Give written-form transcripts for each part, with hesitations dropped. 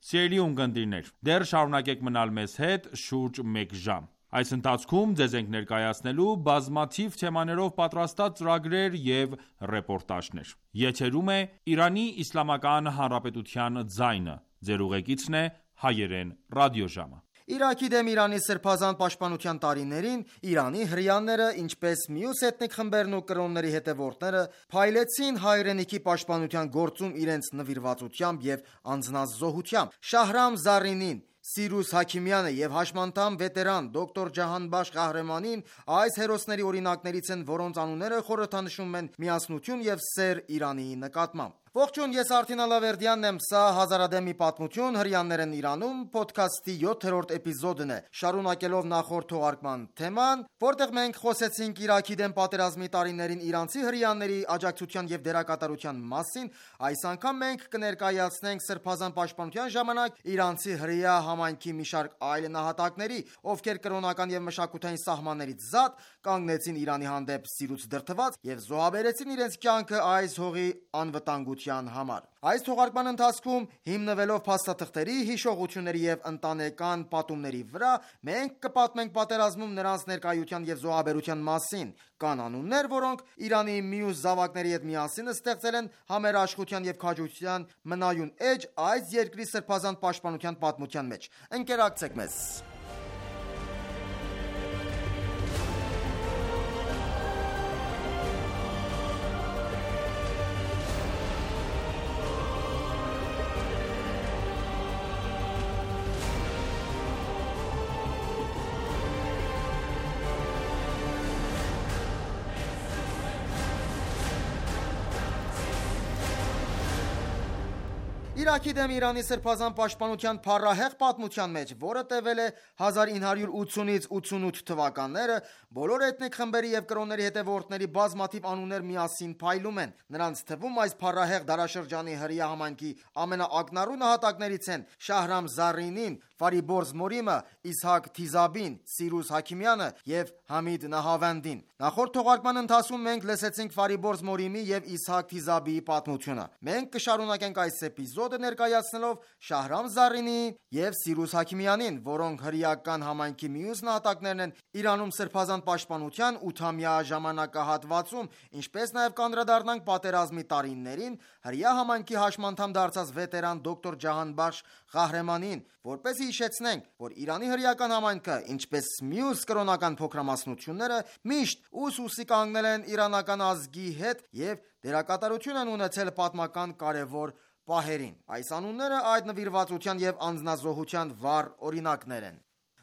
Սիրելի ունկնդիրներ, դեռ շարունակեք մնալ մեզ հետ շուրջ մեկ ժամ: Այս ընթացքում ձեզ ենք ներկայացնելու բազմաթիվ թեմաներով պատրաստած ծրագրեր և ռեպորտաժներ: Եթերում է Իրանի Իսլամական Հանրապետության ձայնը: Ձեր ուղեկիցն է Հայերեն ռադիոժամը: Իրաքի դեմ Իրանի սրբազան պաշտպանության տարիներին Իրանի հրեաները, ինչպես մյուս էթնիկ խմբերն ու կրոնների հետևորդները, փայլեցին հայրենիքի պաշտպանության գործում իրենց նվիրվածությամբ և անձնազոհությամբ: Շահրամ Զառինին, Սիրուս Հաքիմյանը և հաշմանդամ վետերան դոկտոր Ջահանբախշ Qahramanին այս հերոսների օրինակներից են, որոնց անունները խորհրդանշում են միասնություն և սեր Իրանի նկատմամբ: Ողջույն, ես Արթին Ալավերդյանն եմ, սա «Հազարադեպ մի պատմություն. հրեաներն Իրանում» փոդքասթի 7-րդ էպիզոդն է: Շարունակելով նախորդ թողարկման թեման, որտեղ մենք խոսեցինք Իրաքի դեմ պատերազմի տարիներին իրանցի հրեաների աջակցության և դերակատարության մասին, այս անգամ մենք կներկայացնենք սրբազան պաշտպանության ժամանակ իրանցի հրեա համայնքի մի շարք այլ նահատակների, ովքեր կրոնական և մշակութային սահմաններից զատ, կանգնեցին Իրանի հանդեպ սիրուց դրդված և զոհաբերեցին իրենց կյանքը այս հողի անվտանգության համար: Այս թողարկման ընթացքում, հիմնվելով փաստաթղթերի, հիշողությունների և ընտանեկան պատումների վրա, մենք կպատմենք պատերազմում նրանց ներկայության և զոհաբերության մասին: Կան անուններ, որոնք Իրանի մյուս զավակների հետ միասին ստեղծել են համերաշխության և քաջության մնայուն էջ այս երկրի սրբազան պաշտպանության պատմության մեջ: Ընկերակցեք մեզ: Իրաքի դեմ Իրանի սրբազան պաշտպանության փառահեղ պատմության մեջ, որը տևել է 1980-ից 88 թվականները, բոլոր էթնիկ խմբերի և կրոնների հետևորդների բազմաթիվ անուններ միասին փայլում են: Նրանց թվում այս փառահեղ դարաշրջանի հրեա համայնքի ամենաակնառու նահատակներից են Շահրամ Զառինին, Ֆարիբորզ Մորիմը, Իսհակ Թիզաբին, Սիրուս Հաքիմյանը և Համիդ Նահավանդին: Նախորդ թողարկման ընթացքում մենք լսեցինք Ֆարիբորզ Մորիմի և Իսհակ Թիզաբիի պատմությունը: Մենք կշարունակենք այս էպիզոդը ներկայացնելով Շահրամ Զառինիի և Սիրուս Հաքիմյանին, որոնք հրեական համայնքի մյուս նահատակներն են Իրանում սրբազան պաշտպանության 8-ամյա ժամանակահատվածում, ինչպես նաև կանդրադառնանք պատերազմի տարիներին հրեա համայնքի հաշմանդամ դարձած վետերան դոկտոր Ջահանբախշ Qahramanին, որպեսզի հիշեցնենք, որ Իրանի հրեական համայնքը, ինչպես մյուս կրոնական փոքրամասնությունները, միշտ ուս ուսի կանգնել են իրանական ազգի հետ և դերակատարություն են ունեցել պատմական կարևոր պահերին: Այս անունները այդ նվիրվածության և անձնազոհության վառ օրինակներ են: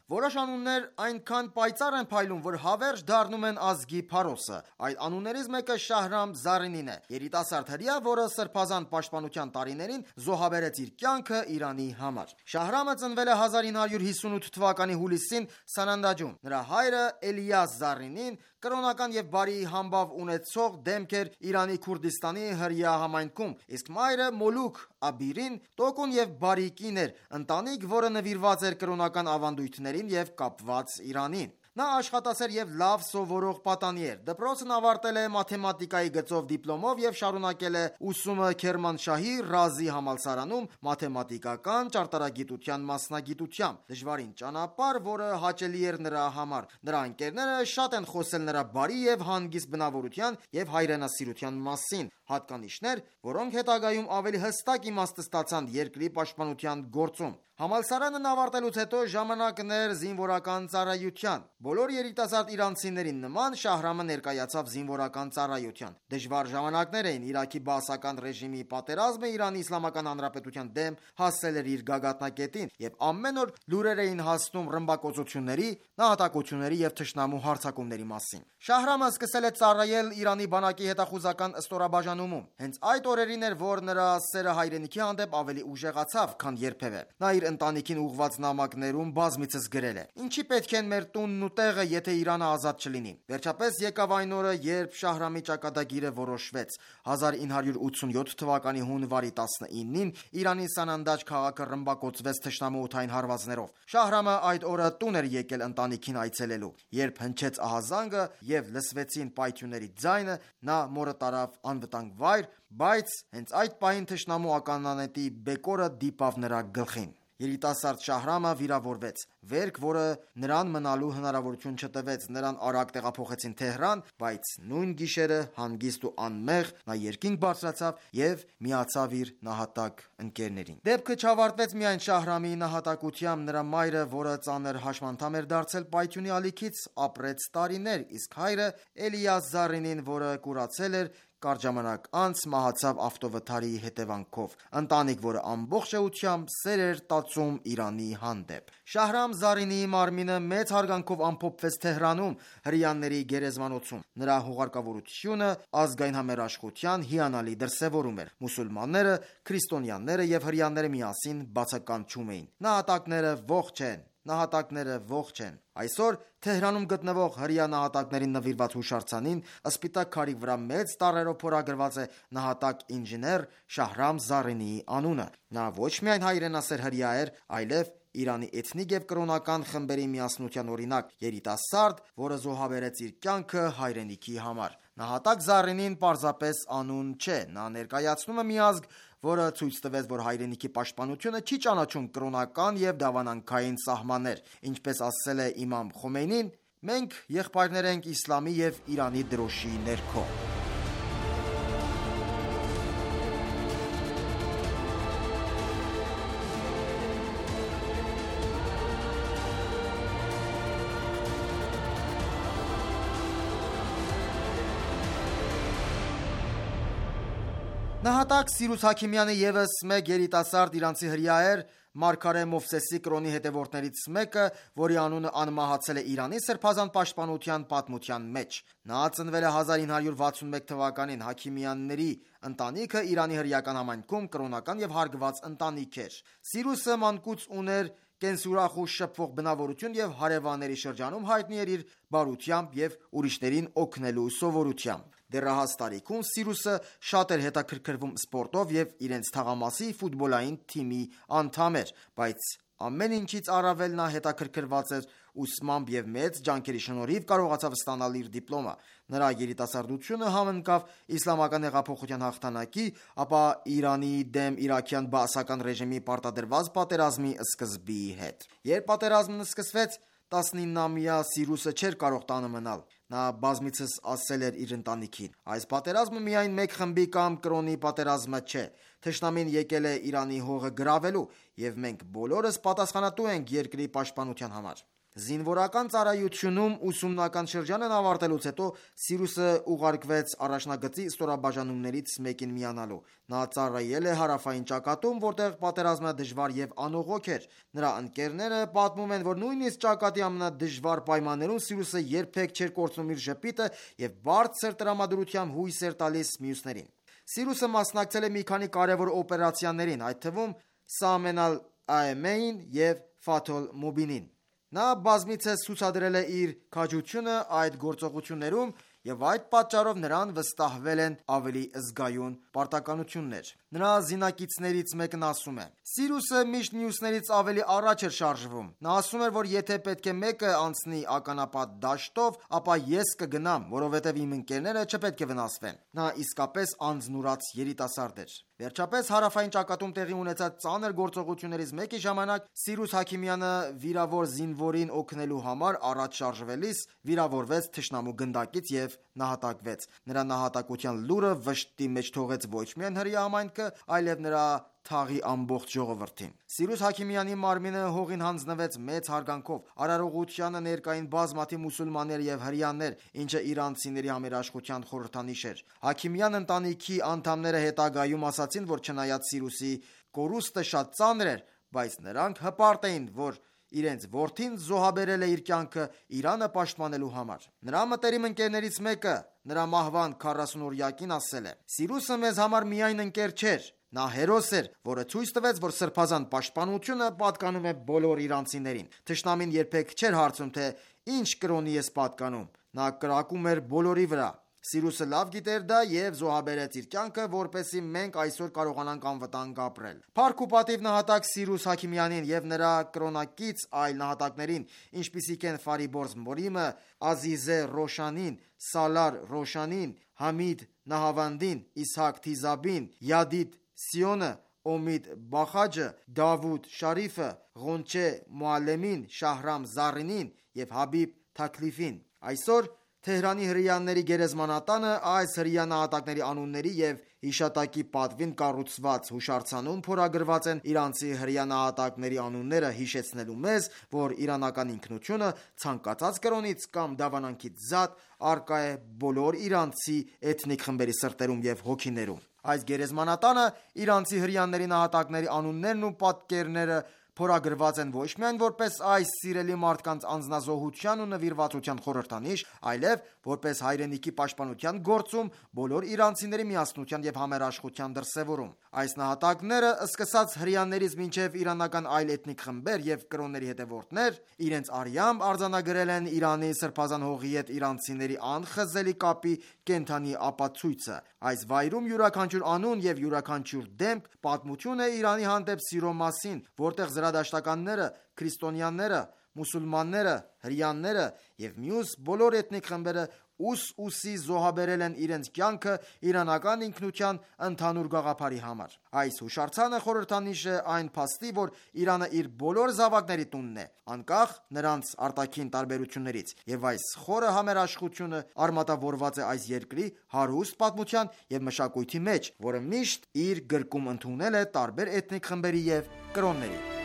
Որոշ անուններ այնքան պայծառ են փայլում, որ հավերժ դառնում են ազգի փարոսը: Այդ անուններից մեկը Շահրամ Զառինին է: Երիտասարդ հրեա, որը սրբազան պաշտպանության տարիներին զոհաբերեց իր կյանքը Իրանի համար: Շահրամը ծնվել է 1958 թվականի հուլիսին Սանանդաջում: Նրա հայրը Էլիաս Զառինին կրոնական և բարի համբավ ունեցող դեմք էր Իրանի Քուրդիստանի հրեա համայնքում, իսկ մայրը Մոլուք Աբիրին տոկուն և բարի կին էր, ընտանիք, որը նվիրված էր կրոնական ավանդույթներին և կապված Իրանին: Նա աշխատասեր և լավ սովորող պատանի էր: Դպրոցն ավարտել է մաթեմատիկայի գծով դիպլոմով և շարունակել է ուսումը Քերմանշահի Ռազի համալսարանում մաթեմատիկական ճարտարագիտության մասնագիտությամբ: Դժվարին ճանապարհ, որը հաճելի էր նրա համար: Նրա ընկերները շատ են խոսել նրա բարի և հանգիստ բնավորության և հայրենասիրության մասին: Հատկանիշներ, որոնք հետագայում ավելի հստակ իմաստ ստացան երկրի պաշտպանության գործում: Համալսարանն ավարտելուց հետո ժամանակ դարձավ զինվորական ծառայության: Բոլոր երիտասարդ իրանցիներին նման Շահրամը ներկայացավ զինվորական ծառայության: Դժվար ժամանակներ էին: Իրաքի բաասական ռեժիմի պատերազմը Իրանի Իսլամական Հանրապետության դեմ հասել էր իր գագաթնակետին և ամեն օր լուրեր էին հասնում ռմբակոծությունների, նահատակությունների և թշնամու հարձակումների մասին: Շահրամը սկսել է ծառայել Իրանի բանակի հետախուզական ստորաբաժանումում: Հենց այդ օրերին էր, որ նրա սերը հայրենիքի հանդեպ ավելի ուժեղացավ, քան երբևէ: Նա իր իր ընտանիքին ուղղված նամակներում բազմիցս գրել է. «Ինչի պետք են մեր տունն ու տեղը, եթե Իրանը ազատ չլինի»։ Վերջապես եկավ այն օրը, երբ Շահրամի ճակատագիրը որոշվեց։ 1987 թվականի հունվարի 19-ին Իրանի Սանանդաջ քաղաքը ռմբակոծվեց թշնամու օդային հարվածներով։ Շահրամը այդ օրը տուն էր եկել ընտանիքին այցելելու։ Երբ հնչեց ահազանգը եւ լսվեցին պայթյունների ձայնը, նա մորը տարավ անվտանգ վայր, բայց հենց այդ պահին թշնամու ականանետի բեկորը դիպավ նրա գլխին։ Երիտասարդ Շահրամը վիրավորվեց։ Վերք, որը նրան մնալու հնարավորություն չտվեց, նրան արագ տեղափոխեցին Թեհրան, բայց նույն գիշերը հանգիստ ու անմեղ նա երկինք բարձրացավ եւ միացավ իր նահատակ ընկերներին։ Դեպքը չավարտվեց միայն Շահրամի նահատակությամբ, նրա մայրը, որը ծանր հաշմանդամ էր դարձել պայթյունի ալիքից, ապրեց տարիներ, իսկ հայրը Էլիաս Զարինին, որը կուրացել էր, կարճ ժամանակ անց մահացավ ավտովթարի հետևանքով։ Ընտանիք, որը ամբողջ էությամբ սեր էր տածում Իրանի հանդեպ։ Շահրամ Զարինիի մարմինը մեծ հարգանքով ամփոփվեց Թեհրանում հրեաների գերեզմանոցում։ Նրա հուղարկավորությունը ազգային համերաշխության հիանալի դրսևորում էր։ Մուսուլմանները, քրիստոնյաները եւ հրեաները միասին բացականչում էին. «Նահատակները ողջ են, նահատակները ողջ են»։ Այսօր Թեհրանում գտնվող հրեա նահատակներին նվիրված հուշարձանին սպիտակ քարի վրա մեծ տառերով փորագրված է նահատակ ինժեներ Շահրամ Զարինիի անունը։ Նա ոչ միայն հայրենասեր հրեա էր, այլև Իրանի էթնիկ եւ կրոնական խմբերի միասնության օրինակ, երիտասարդ, որը զոհաբերեց իր կյանքը հայրենիքի համար։ Նահատակ Զարինին պարզապես անուն չէ, նա ներկայացնում է մի ազգ, որը ցույց տվեց, որ հայրենիքի պաշտպանությունը չի ճանաչում կրոնական եւ դավանանքային սահմաններ։ Ինչպես ասել է իմամ Խոմեյնին, մենք եղբայրներ ենք իսլամի եւ Իրանի դրոշի ներքո։ Նահատակ Սիրուս Հաքիմյանը ևս մեկ երիտասարդ իրանցի հրեա էր, Մարգարե Մովսեսի կրոնի հետևորդներից մեկը, որի անունը անմահացել է Իրանի սրբազան պաշտպանության պատմության մեջ։ Նա ծնվել է 1961 թվականին։ Հաքիմյանների ընտանիքը Իրանի հրեական համայնքում կրոնական եւ հարգված ընտանիք էր։ Սիրուսը մանկուց ուներ կենսուրախ ու շփվող բնավորություն եւ հարևանների շրջանում հայտնի էր իր բարությամբ եւ ուրիշներին օգնելու սովորությամբ։ Դեռահաս տարիքում Սիրուսը շատ էր հետաքրքրվում սպորտով եւ իրենց թաղամասի ֆուտբոլային թիմի անդամ էր, բայց ամեն ինչից առավել նա հետաքրքրված էր ուսմամբ եւ մեծ ջանքերի շնորհիվ կարողացավ ստանալ իր դիպլոմը։ Նրա երիտասարդությունը համընկավ իսլամական հեղափոխության հաղթանակի, ապա Իրանի դեմ իրաքյան բաասական ռեժիմի պարտադրված պատերազմի սկզբի հետ։ Երբ պատերազմն սկսվեց, 19-ամյա Սիրուսը չէր կարող տանը մնալ։ Նա բազմիցս ասել էր իր ընտանիքին. «Այս պատերազմը միայն մեկ խմբի կամ կրոնի պատերազմը չէ։ Թշնամին եկել է Իրանի հողը գրավելու, եւ մենք բոլորս պատասխանատու ենք երկրի պաշտպանության համար»։ Զինվորական ծառայությունում ուսումնական շրջանն ավարտելուց հետո Սիրուսը ուղարկվեց առաջնագծի ստորաբաժանումներից մեկին միանալու։ Նա ծառայել է հարավային ճակատում, որտեղ պատերազմը դժվար եւ անողոք էր։ Նրա ընկերները պատմում են, որ նույնիսկ ճակատի ամենադժվար պայմաններում Սիրուսը երբեք չէր կորցնում իր ժպիտը եւ բարձր տրամադրությամբ հույս էր տալիս մյուսներին։ Սիրուսը մասնակցել է մի քանի կարևոր օպերացիաներին, այդ թվում Սամեն ալ-Աեմեին եւ Ֆաթհ Մուբինին։ Նա բազմիցս ցուցադրել է իր քաջությունը այդ գործողություններում եւ այդ պատճառով նրան վստահվել են ավելի զգայուն պարտականություններ։ Նրա զինակիցներից մեկն ասում է. «Սիրուսը միշտ մյուսներից ավելի առաջ էր շարժվում։ Նա ասում էր, որ եթե պետք է մեկը անցնի ականապատ դաշտով, ապա ես կգնամ, որովհետև իմ ընկերները չպետք է վնասվեն»։ Նա իսկապես անձնուրաց երիտասարդ էր։ Վերջապես հարավային ճակատում տեղի ունեցած ծանր գործողություններից մեկի ժամանակ Սիրուս Հաքիմյանը վիրավոր զինվորին օգնելու համար առաջ շարժվելիս վիրավորվեց թշնամու գնդակից եւ նահատակվեց։ Նրա նահատակության լուրը վշտի մեջ թողեց ոչ միայն հրեա համայնքը, այլև նրա թաղի ամբողջ ժողովրդին։ Սիրուս Հաքիմյանի մարմինը հողին հանձնվեց մեծ հարգանքով։ Արարողությանը ներկային բազմաթիվ մուսուլմաններ եւ հրեաներ, ինչը իրանցիների համերաշխության խորհրդանիշ էր։ Հաքիմյան ընտանիքի անդամները հետագայում ասացին, որ չնայած Սիրուսի կորուստը շատ ծանր էր, բայց նրանք հպարտ էին, որ իրենց որդին զոհաբերել է իր կյանքը Իրանը պաշտպանելու համար։ Նրա մտերիմ ընկերներից մեկը նրա մահվան 40-օրյակին ասել է. «Սիրուսը մեզ համար միայն ընկեր չէր, Նա հերոս էր, որը ցույց տվեց, որ սրբազան պաշտպանությունը պատկանում է բոլոր իրանցիներին։ Թշնամին երբեք չէր հարցում, թե ինչ կրոնի ես պատկանում։ Նա կրակում էր բոլորի վրա։ Սիրուսը լավ գիտեր դա և զոհաբերեց իր կյանքը, որպեսզի մենք այսօր կարողանանք անվտանգ ապրել։ Փառք ու պատիվ նահատակ Սիրուս Հաքիմյանին և նրա կրոնակից այլ նահատակներին, ինչպիսիք են Ֆարիբորզ Մորիմը, Ազիզե Ռոշանին, Սալար Ռոշանին, Համիդ Նահավանդին, Իսհակ Թիզաբին, Յադիդ Սիոնը, Օմիդ Բախաջը, Դավուդ Շարիֆը, Ղոնչե Մուալեմին, Շահրամ Զարինին և Հաբիբ Թաքլիֆին։ Այսօր Թեհրանի հրեաների գերեզմանատանը այս հրեա նահատակների անունների և հիշատակի պատվին կառուցված հուշարձանում փորագրված են իրանցի հրեա նահատակների անունները, հիշեցնելու մեզ, որ իրանական ինքնությունը ցանկացած կրոնից կամ դավանանքից զատ առկա է բոլոր իրանցի էթնիկ խմբերի սրտերում և հոգիներում։ Այս գերեզմանատանը իրանցի հրեաների նահատակների անուններն ու պատկերները փորագրված են ոչ միայն որպես այս սիրելի մարդկանց անձնազոհության ու նվիրվածության խորհրդանիշ, այլև որպես հայրենիքի պաշտպանության գործում բոլոր իրանցիների միասնության և համերաշխության դրսևորում։ Այս նահատակները, սկսած հրեաներից մինչև իրանական այլ էթնիկ խմբեր և կրոնների հետևորդներ, իրենց արյամբ արձանագրել են Իրանի սրբազան հողի հետ իրանցիների անխզելի կապի կենդանի ապացույցը։ Այս վայրում յուրաքանչյուր անուն և յուրաքանչյուր դեմք պատմություն է Իրանի հանդեպ սիրո մասին, որտեղ զրադաշտականները, քրիստոնյաները, մուսուլմանները, հրեաները և մյուս բոլոր էթնիկ խմբերը ուս-ուսի զոհաբերել են իրենց կյանքը իրանական ինքնության ընդհանուր գաղափարի համար։ Այս հուշարձանը խորհրդանիշ է այն փաստի, որ Իրանը իր բոլոր զավակների տունն է, անկախ նրանց արտաքին տարբերություններից, և այս խորը համերաշխությունը արմատավորված է այս երկրի հարուստ պատմության և մշակույթի մեջ, որը միշտ իր գրկում ընդունել է տարբեր էթնիկ խմբերի և կրոնների։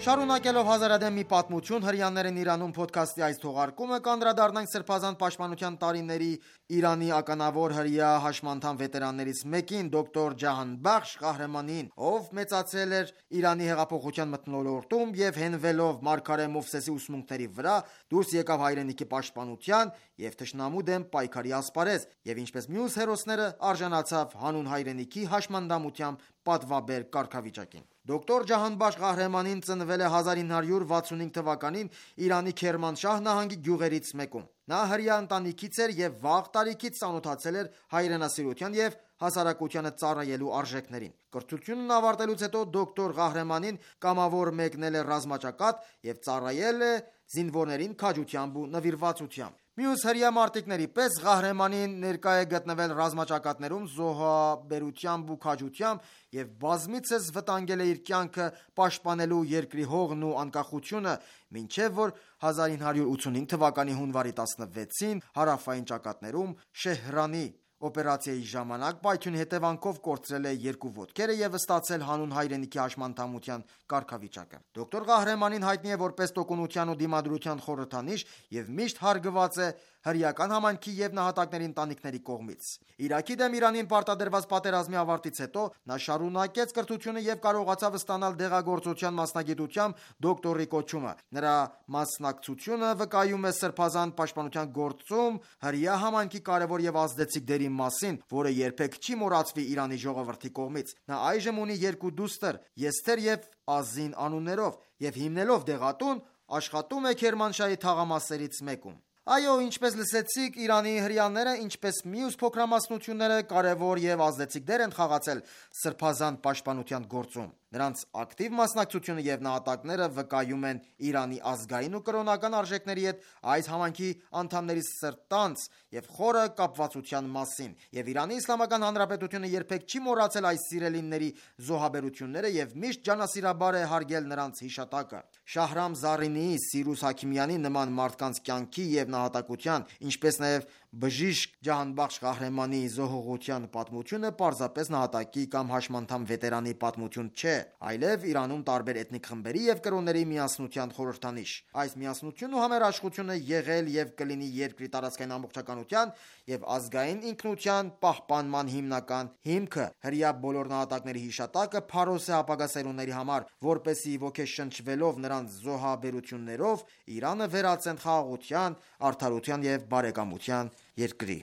Շարունակելով հազարադեմ մի պատմություն հրեաներն Իրանում փոդքասթի այս թողարկումը կանդրադառնանք Սրբազան պաշտպանության տարիների Իրանի ականավոր հրեա հաշմանդամ վետերաններից մեկին, դոկտոր Ջահանբախշ Ղահրեմանին, ով մեծացել էր Իրանի հեղափոխության մթնոլորտում և հենվելով մարգարե Մովսեսի ուսմունքների վրա դուրս եկավ հայրենիքի պաշտպանության և թշնամու դեմ պայքարի ասպարեզ և ինչպես մյուս հերոսները արժանացավ հանուն հայրենիքի հաշմանդամությամբ պատվաբեր կարգավիճակին։ Դոկտոր Ջահանբախշ Ղահրեմանին ծնվել է 1965 թվականին Իրանի Քերմանշահ նահանգի գյուղերից մեկում։ Նա հրեա ընտանիքից էր և վաղ տարիքից ծանոթացել էր հայրենասիրության և հասարակությանը ծառայելու արժեքներին։ Կրթությունն ավարտելուց հետո դոկտոր Ղահրեմանին կամավոր մեկնել է ռազմաճակատ և ծառայել է զինվորներին քաջությամբ ու նվիրվածությամբ։ Մյուս հրեա մարտիկների պես Ղահրեմանին ներկա է գտնվել ռազմաճակատներում զոհաբերությամբ ու քաջությամբ և բազմիցս վտանգել է իր կյանքը պաշտպանելու երկրի հողն ու անկախությունը, մինչև որ 1985 թվականի հունվարի 16-ին հարավային ճակատներում Շեհրանի օպերացիայի ժամանակ պայթյունի հետևանքով կորցրել է երկու ոտքերը և ստացել հանուն հայրենիքի հաշմանդամության կարգավիճակը։ Դոկտոր Ղահրեմանին հայտնի է որպես տոկունության ու դիմադրության խորհրդանիշ և միշտ հարգված է հրեական համայնքի և նահատակների ընտանիքների կողմից։ Իրաքի դեմ Իրանին պարտադրված պատերազմի ավարտից հետո նա շարունակեց կրթությունը և կարողացավ ստանալ դեղագործության մասնագիտությամբ դոկտորի կոչումը։ Նրա մասնակցությունը վկայում է սրբազան պաշտպանության գործում հրեա համայնքի կարևոր և ազդեցիկ դերի մասին, որը երբեք չի մոռացվի Իրանի ժողովրդի կողմից։ Նա այժմ ունի երկու դուստր՝ Եսթեր և Ազին անուններով, և հիմնելով դեղատուն աշխատում է Քերմանշահի թաղամասերից մեկում։ Այո, ինչպես լսեցիք, Իրանի հրեաները, ինչպես մյուս փոքրամասնությունները, կարևոր և ազդեցիկ դեր են խաղացել սրբազան պաշտպանության գործում։ Նրանց ակտիվ մասնակցությունը և նահատակները վկայում են Իրանի ազգային ու կրոնական արժեքների հետ այս համայնքի անդամների սրտանց և խորը կապվածության մասին, և Իրանի Իսլամական Հանրապետությունը երբեք չի մոռացել այս սիրելիների զոհաբերությունները և միշտ ջանասիրաբար է հարգել նրանց հիշատակը։ Շահրամ Զարինիի, Սիրուս Հաքիմյանի նման մարդկանց կյանքի և նահատակության, ինչպես նաև բժիշկ ջահանբախշ Ղահրեմանի զոհողության պատմությունը պարզապես նահատակի կամ հաշմանդամ վետերանի պատմություն չէ, այլև Իրանում տարբեր էթնիկ խմբերի և կրոնների միասնության խորհրդանիշ։ Այս միասնությունն ու համերաշխությունը եղել և կլինի երկրի տարածքային ամբողջականության և ազգային ինքնության պահպանման հիմնական հիմքը։ Հրեա բոլոր նահատակների հիշատակը փարոս է ապագա սերունդների համար, որպեսզի ոգեշնչվելով նրանց զոհաբերություններով Իրանը վերածեն խաղաղության, արդարության և բարեկամության երկրի։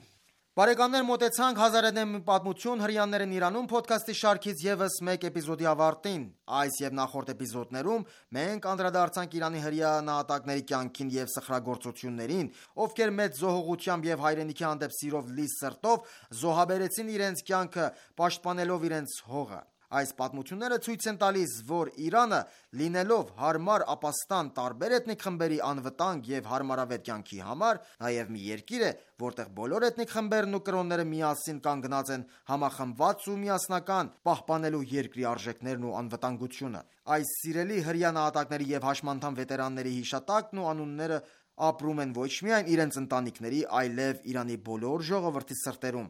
Բարեկամներ, մոտեցանք «1001 պատմություն. հրեաներն Իրանում» փոդքասթի շարքից ևս մեկ էպիզոդի ավարտին։ Այս և նախորդ էպիզոդներում մենք անդրադարձանք Իրանի հրեա նահատակների կյանքին և սխրագործություններին, ովքեր մեծ զոհողությամբ և հայրենիքի հանդեպ սիրով լի սրտով զոհաբերեցին իրենց կյանքը, պաշտպանելով իրենց հողը։ Այս պատմությունները ցույց են տալիս, որ Իրանը, լինելով հարմար ապաստան տարբեր էթնիկ խմբերի անվտանգ և հարմարավետ կյանքի համար, նաև մի երկիր է, որտեղ բոլոր էթնիկ խմբերն ու կրոնները միասին կանգնած են համախմբված ու միասնական, պահպանելու երկրի արժեքներն ու անվտանգությունը։ Այս սիրելի հրեա նահատակների և հաշմանդամ վետերանների հիշատակն ու անունները ապրում են ոչ միայն իրենց ընտանիքների, այլև Իրանի բոլոր ժողովրդի սրտերում։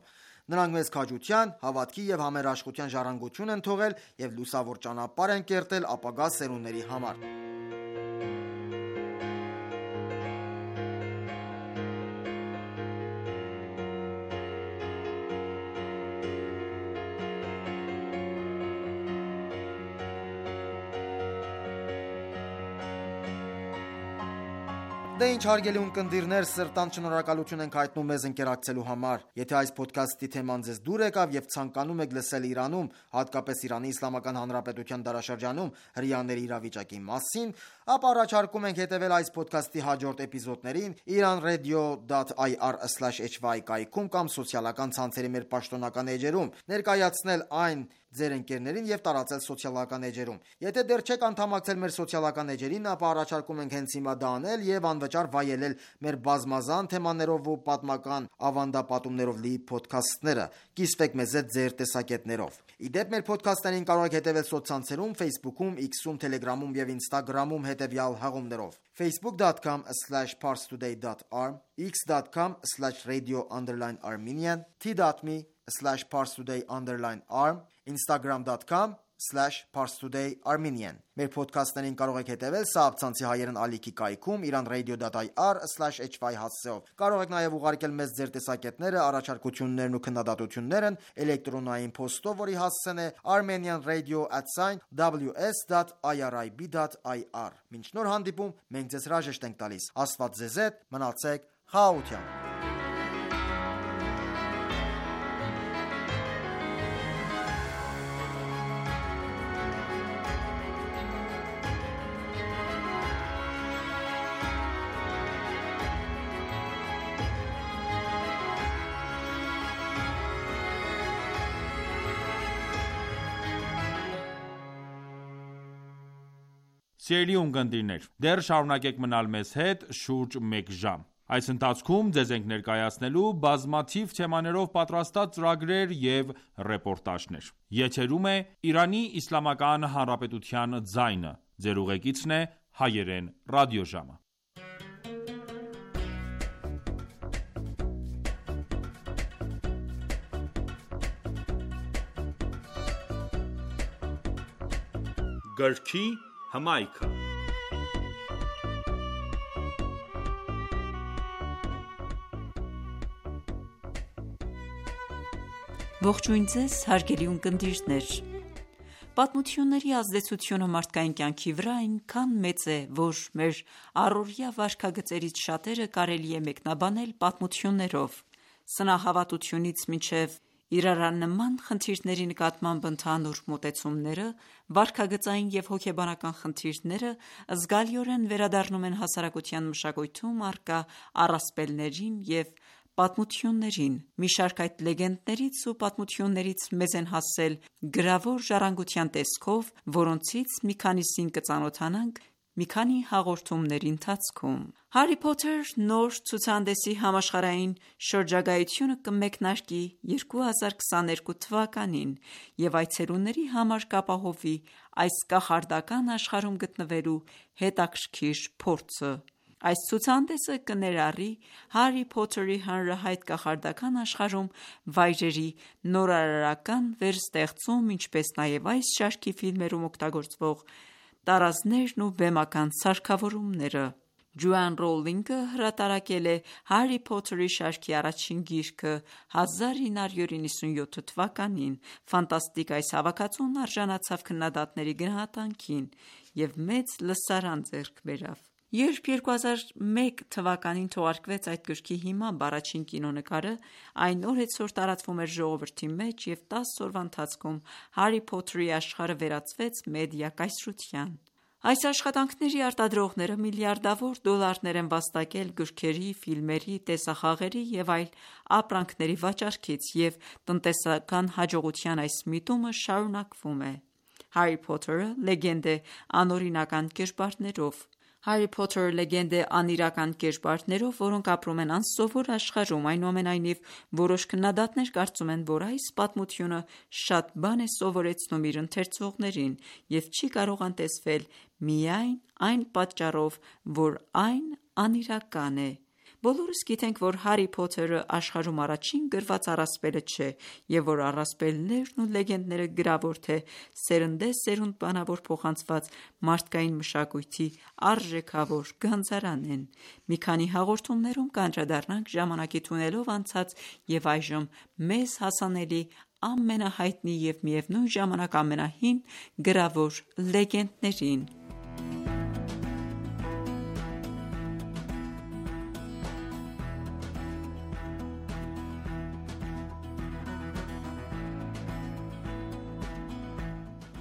Նրանք մեզ քաջության, հավատքի և համերաշխության ժառանգություն են թողել և լուսավոր ճանապարհ են կերտել ապագա սերունդների համար։ Դե ինչ հարգելի ունկնդիրներ, սրտանց շնորհակալություն ենք հայտնում մեզ ընկերակցելու համար։ Եթե այս փոդքասթի թեման ձեզ դուր եկավ եւ ցանկանում եք լսել Իրանում, հատկապես Իրանի Իսլամական Հանրապետության դարաշրջանում հրեաների իրավիճակի մասին, ապա առաջարկում ենք հետևել այս փոդքասթի հաջորդ էպիզոդներին iranradio.ir/hy կայքում կամ սոցիալական ցանցերի մեր պաշտոնական էջերում, ներկայացնել այն ձեր ընկերներին եւ տարածել սոցիալական էջերում։ Եթե դեռ չեք անդամակցել մեր սոցիալական էջերին, ապա առաջարկում ենք հենց հիմա դա անել եւ անվճար վայելել մեր բազմազան թեմաներով ու պատմական ավանդապատումներով լի փոդքասթները։ Կիսվեք մեզ հետ ձեր տեսակետներով։ Իդեպ մեր փոդքասթերին կարող եք հետևել սոցցանցերում Facebook-ում, X-ում, Telegram-ում եւ Instagram-ում հետևյալ հղումներով. facebook.com/parstoday.ar, x.com/radio_armenian, t.me/parstoday_arm, instagram.com/parstoday_armenian։ Մեր փոդքասթերին կարող եք հետևել Սաաբցանցի հայերեն ալիքի կայքում iranradio.ir/hy հասցեով։ Կարող եք նաև ուղարկել մեզ ձեր տեսակետները, առաջարկություններն ու քննադատություններն էլեկտրոնային փոստով, որի հասցեն է armenianradio@ws.irib.ir։ Մինչ նոր հանդիպում, մենք ձեզ հրաժեշտ ենք տալիս։ Աստված ձեզ հետ, մնացեք խաղաղությամբ։ Սիրելի ունկնդիրներ, դեռ շարունակեք մնալ մեզ հետ շուրջ մեկ ժամ։ Այս ընթացքում ձեզ ենք ներկայացնելու բազմաթիվ թեմաներով պատրաստած ծրագրեր և ռեպորտաժներ։ Եթերում է Իրանի Իսլամական Հանրապետության ձայնը։ Ձեր ուղեկիցն է հայերեն ռադիոժամը։ Գրքի հմայքը։ Ողջույն ձեզ, հարգելի ունկնդիրներ։ Պատմությունների ազդեցությունը մարդկային կյանքի վրա այնքան մեծ է, որ մեր առօրյա վարքագծերից շատերը կարելի է մեկնաբանել պատմություններով։ Սնահավատությունից մինչև իրարանման խնդիրների նկատմամբ ընդհանուր մոտեցումները, վարքագծային և հոգեբանական խնդիրները զգալիորեն վերադառնում են հասարակության մշակույթում առկա առասպելներին և պատմություններին։ Մի շարք այդ լեգենդներից ու պատմություններից մեզ են հասել գրավոր ժառանգության տեսքով, որոնցից մի քանիսին կծանոթանանք մի քանի հաղորդումների ընթացքում։ Հարի Փոթեր նոր ցուցահանդեսի համաշխարհային շրջագայությունը կմեկնարկի 2022 թվականին և այցելուների համար կապահովի այս կախարդական աշխարհում գտնվելու հետաքրքիր փորձը։ Այս ցուցահանդեսը կներառի Հարի Փոթերի հանրահայտ կախարդական աշխարհում վայրերի նորարարական վերստեղծում, ինչպես նաև այս շարքի ֆիլմերում օգտագործվող տարազներն ու վեմական սարքավորումները։ Ջոան Ռոուլինգը հրատարակել է Հարի Փոթերի շարքի առաջին գիրքը 1997 թվականին։ Ֆանտաստիկ այս հավաքածուն արժանացավ քննադատների գնահատանքին և մեծ լսարան ձեռք բերավ։ Երբ 2001 թվականին թողարկվեց այդ գրքի հիմամբ առաջին կինոնկարը, այն օրեցօր տարածվում էր ժողովրդի մեջ և 10 օրվա ընթացքում Հարի Փոթերի աշխարհը վերածվեց մեդիա կայսրության։ Այս աշխատանքների արտադրողները միլիարդավոր դոլարներ են վաստակել գրքերի, ֆիլմերի, տեսախաղերի և այլ ապրանքների վաճառքից, և տնտեսական հաջողության այս միտումը շարունակվում է։ Հարի Փոթերը լեգենդ է անօրինական կերպարներով։ Հարի Փոթերը լեգենդ է անիրական կերպարներով, որոնք ապրում են անսովոր աշխարհում։ Այնուամենայնիվ, որոշ քննադատներ կարծում են, որ այս պատմությունը շատ բան է սովորեցնում իր ընթերցողներին և չի կարող անտեսվել միայն այն պատճառով, որ այն անիրական է։ Բոլորս գիտենք, որ Հարի Փոթերը աշխարհում առաջին գրված առասպելը չէ, և որ առասպելներն ու լեգենդները գրավոր թե սերնդեսերունդ բանավոր փոխանցված մարդկային մշակույթի արժեքավոր գանձարան են։ Մի քանի հաղորդումներում կանդրադառնանք ժամանակի թունելով անցած և այժմ մեզ հասանելի ամենահայտնի և միևնույն ժամանակ ամենահին գրավոր լեգենդներին։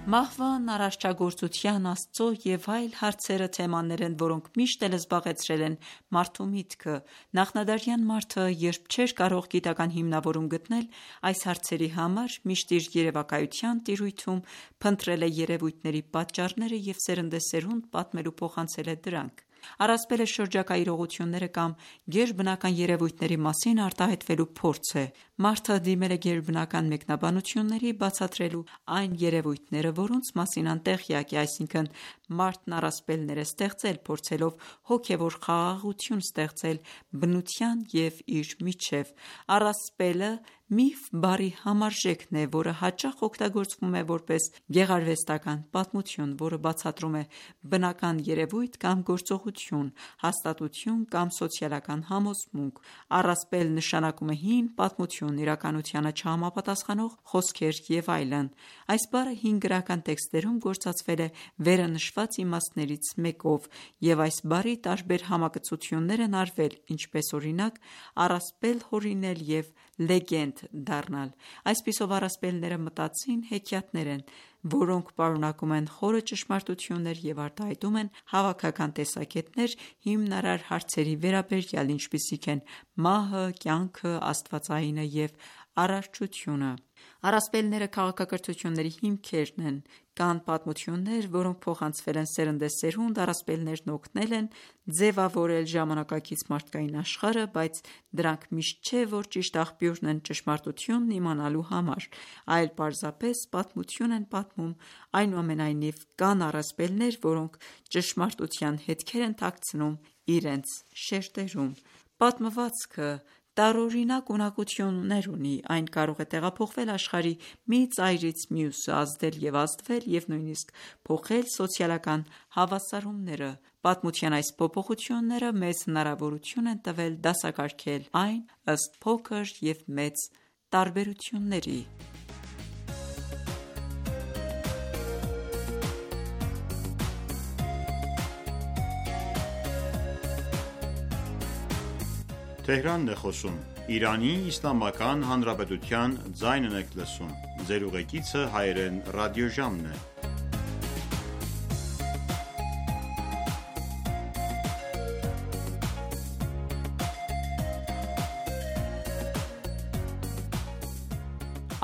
Մահվան, արարչագործության, Աստծո և այլ հարցերը թեմաներ են, որոնք միշտ էլ զբաղեցրել են մարդու միտքը։ Նախնադարյան մարդը, երբ չէր կարող գիտական հիմնավորում գտնել այս հարցերի համար, միշտ իր երևակայության տիրույթում փնտրել է երևույթների պատճառները և սերնդեսերունդ պատմել ու փոխանցել է դրանք։ Առասպելը շրջակա իրողությունները կամ գերբնական երևույթների մասին արտահայտվելու փորձ է։ Մարդը դիմել է գերբնական մեկնաբանությունների, բացատրելու այն երևույթները, որոնց մասին անտեղյակ է, այսինքն մարդն առասպելներ է ստեղծել, փորձելով հոգևոր խաղաղություն ստեղծել բնության և իր միջև։ Առասպելը միֆ բառի համարժեքն է, որը հաճախ օգտագործվում է որպես գեղարվեստական պատմություն, որը բացատրում է բնական երևույթ կամ գործողություն, հաստատություն կամ սոցիալական համոզմունք։ Առասպել նշանակում է հին պատմություն, իրականությանը չհամապատասխանող խոսքեր և այլն։ Այս բառը հին գրական տեքստերում գործածվել է վերը նշված իմաստներից մեկով, և այս բառի տարբեր համակցություններ են արվել, ինչպես օրինակ առասպել հորինել և լեգենդ դառնալ։ Այսպիսով առասպելները մտածին հեքիաթներ են, որոնք պարունակում են խորը ճշմարտություններ և արտահայտում են հավաքական տեսակետներ հիմնարար հարցերի վերաբերյալ, ինչպիսիք են մահը, կյանքը, աստվածայինը և արարչությունը։ Առասպելները քաղաքակրթությունների հիմքերն են։ Կան պատմություններ, որոնք փոխանցվել են սերնդեսերունդ, առասպելներն օգնել են ձևավորել ժամանակակից մարդկային աշխարհը, բայց դրանք միշտ չէ, որ ճիշտ աղբյուրն են ճշմարտությունն իմանալու համար, այլ պարզապես պատմություն են պատմում։ Այնուամենայնիվ, կան առասպելներ, որոնք ճշմարտության հետքեր են թաքցնում իրենց շերտերում։ Պատմվածքը տարօրինակ ունակություններ ունի։ Այն կարող է տեղափոխվել աշխարհի մի ծայրից մյուսը, ազդել և ազդվել և նույնիսկ փոխել սոցիալական հավասարումները։ Պատմության այս փոփոխությունները մեզ հնարավորություն են տվել դասակարգել այն ըստ փոքր և մեծ տարբերությունների։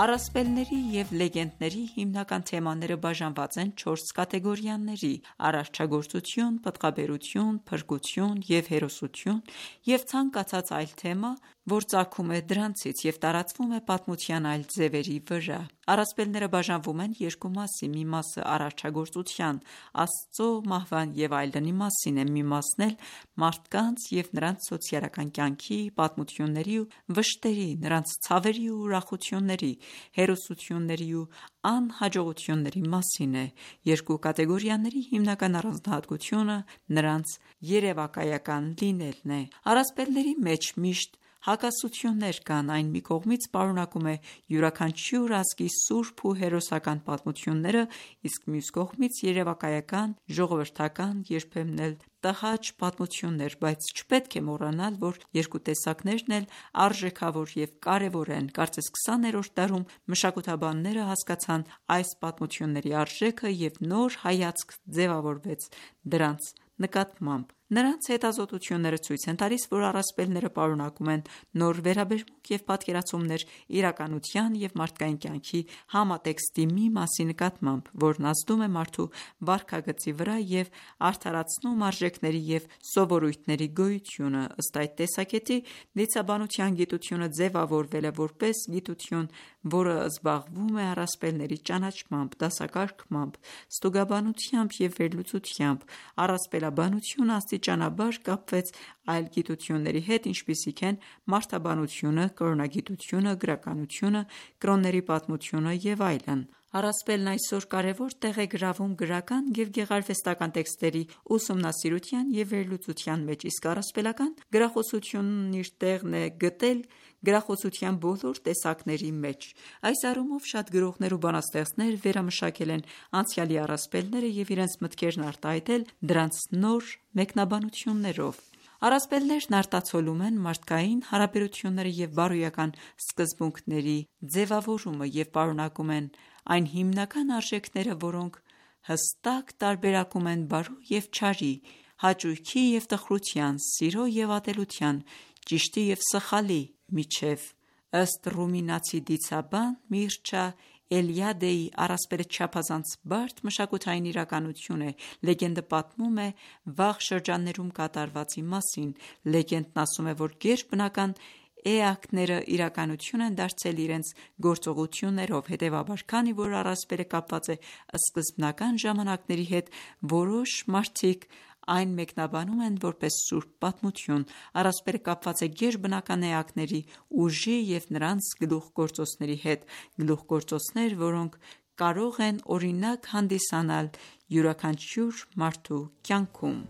Առասպելների և լեգենդների հիմնական թեմաները բաժանված են 4 կատեգորիաների՝ արարչագործություն, պտղաբերություն, փրկություն և հերոսություն, և ցանկացած այլ թեմա որ ծագում է դրանցից և տարածվում է պատմության այլ ձևերի վրա։ Առասպելները բաժանվում են երկու մասի, մի մասը արարչագործության, Աստծո մահվան և այլնի մասին է, մի մասն էլ մարդկանց և նրանց սոցիալական կյանքի, պատմությունների ու վշտերի, նրանց ցավերի ու ուրախությունների, հերոսությունների ու անհաջողությունների մասին է։ Երկու կատեգորիաների հիմնական առանձնահատկությունը նրանց երևակայական լինելն է։ Առասպելների մեջ միշտ հակասություններ կան, այն մի կողմից պարունակում է յուրաքանչյուր ազգի սուրբ ու հերոսական պատմությունները, իսկ մյուս կողմից երևակայական, ժողովրդական, երբեմն էլ տհաճ պատմություններ, բայց չպետք է մոռանալ, որ երկու տեսակներն էլ արժեքավոր և կարևոր են։ Կարծես 20-րդ դարում մշակութաբանները հասկացան այս պատմությունների արժեքը և նոր հայացք ձևավորվեց դրանց նկատմամբ։ Նրանց հետազոտությունները ցույց են տալիս, որ առասպելները պարունակում են նոր վերաբերմունք և պատկերացումներ իրականության և մարդկային կյանքի համատեքստի մի մասի նկատմամբ, որն ազդում է մարդու վարքագծի վրա և արդարացնում արժեքների և սովորույթների գոյությունը։ Ըստ այդ տեսակետի, դիցաբանության գիտությունը ձևավորվել է որպես գիտություն, որը զբաղվում է առասպելների ճանաչմամբ, դասակարգմամբ, ստուգաբանությամբ և վերլուծությամբ։ Առասպելաբանությունը աստիճանաբար կապվեց այլ գիտությունների հետ, ինչպիսիք են մարդաբանությունը, կրոնագիտությունը, գրականությունը, կրոնների պատմությունը և այլն։ Առասպելն այսօր կարևոր տեղ է գրավում գրական և գեղարվեստական տեքստերի ուսումնասիրության և վերլուծության մեջ, իսկ առասպելական գրախոսությունն իր տեղն է գտել գրախոսության բոլոր տեսակների մեջ։ Այս առումով շատ գրողներ ու բանաստեղծներ վերամշակել են անցյալի առասպելները և իրենց մտքերն արտահայտել դրանց նոր մեկնաբանություններով։ Առասպելներն արտացոլում են մարդկային հարաբերությունները և բարոյական սկզբունքների ձևավորումը և պարունակում են այն հիմնական արժեքները, որոնք հստակ տարբերակում են բարու և չարի, հաճույքի և տխրության, սիրո և ատելության, ճիշտի և սխալի միջև։ Ըստ ռումինացի դիցաբան Միրչա Էլիադեի, առասպելը չափազանց բարդ մշակութային իրականություն է։ Լեգենդը պատմում է վաղ շրջաններում կատարվածի մասին։ Լեգենդն ասում է, որ գերբնական էակները իրականություն են դարձել իրենց գործողություններով։ Հետևաբար, քանի որ առասպելը կապված է սկզբնական ժամանակների հետ, որոշ մարդիկ այն մեկնաբանում են որպես սուրբ պատմություն։ Առասպելը կապված է գերբնական էակների ուժի և նրանց գլուխգործոցների հետ, գլուխգործոցներ, որոնք կարող են օրինակ հանդիսանալ յուրաքանչյուր մարդու կյանքում։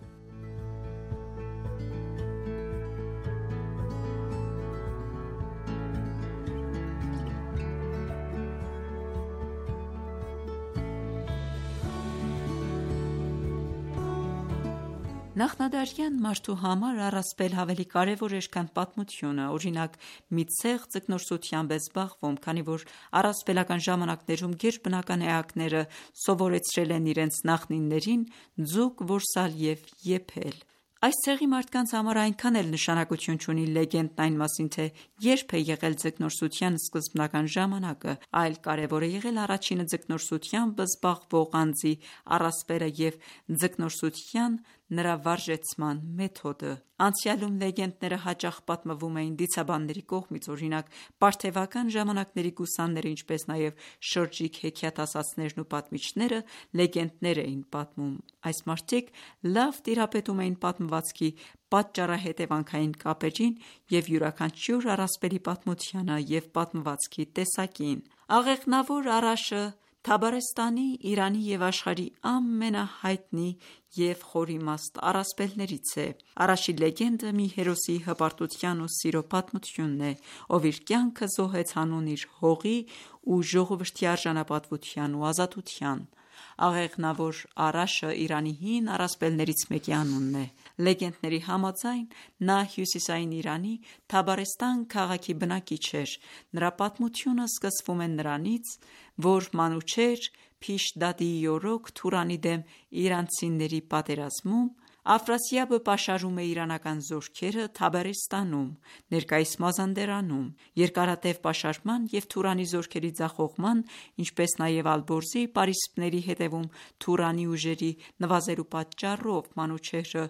Նախնադարյան մարդու համար առասպելը ավելի կարևոր էր, քան պատմությունը։ Օրինակ, մի ցեղ ձկնորսությամբ է զբաղվում, քանի որ առասպելական ժամանակներում գերբնական էակները սովորեցրել են իրենց նախնիներին ձուկ որսալ և եփել։ Այս ցեղի մարդկանց համար այնքան էլ նշանակություն չունի լեգենդն այն մասին, թե երբ է եղել ձկնորսության սկզբնական ժամանակը, այլ կարևոր է եղել առաջինը ձկնորսությամբ զբաղվող անձի առասպելը և ձկնորսության նրա վարժեցման մեթոդը։ Անցյալում լեգենդները հաճախ պատմվում էին դիցաբանների կողմից։ Օրինակ, պարթևական ժամանակների գուսանները, ինչպես նաև շրջիկ հեքիաթասացներն ու պատմիչները լեգենդներ էին պատմում։ Այս մարդիկ լավ տիրապետում էին պատմվածքի պատճառահետևանքային կապերին և յուրաքանչյուր առասպելի պատմությանը և պատմվածքի տեսակին։ Աղեղնավոր Արաշը Թաբարեստանի, Իրանի և աշխարհի ամենահայտնի և խորիմաստ առասպելներից է։ Արաշի լեգենդը մի հերոսի հպարտության ու սիրո պատմությունն է, ով իր կյանքը զոհեց հանուն իր հողի ու ժողովրդի արժանապատվության ու ազատության։ Աղեղնավոր Արաշը Իրանի հին առասպելներից մեկի անունն է։ Լեգենդների համաձայն, նա հյուսիսային Իրանի Թաբարեստան քաղաքի բնակիչ էր։ Նրա պատմությունը սկսվում է նրանից, որ Մանուչեհր Փիշդադիի օրոք Թուրանի դեմ իրանցիների պատերազմում Աֆրասիաբը պաշարում է իրանական զորքերը Թաբերեստանում, ներկայիս Մազանդերանում: Երկարատև պաշարման և Թուրանի զորքերի ձախողման, ինչպես նաև Ալբորզի պարիսպների հետևում Թուրանի ուժերի նվազելու պատճառով Մանուչեհրը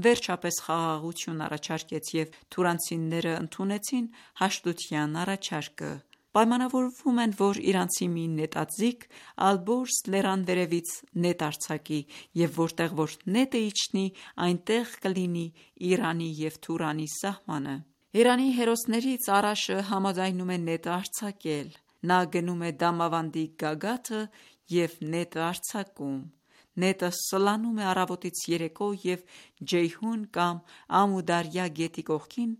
վերջապես խաղաղություն առաջարկեց և թուրանացիները ընդունեցին հաշտության առաջարկը: Պայմանավորվում են, որ իրանցի մի նետաձիգ Ալբորզ լեռան վերևից նետ արձակի և որտեղ որ նետը իջնի, այնտեղ կլինի Իրանի և Թուրանի սահմանը: Իրանի հերոսներից Արաշը համաձայնում է նետը արձակել: Նա գնում է Դամավանդի գագաթը և նետը արձակում: Նետը սլանում է առավոտից երեկո և Ջեյհուն կամ Ամու Դարյա գետի կողքին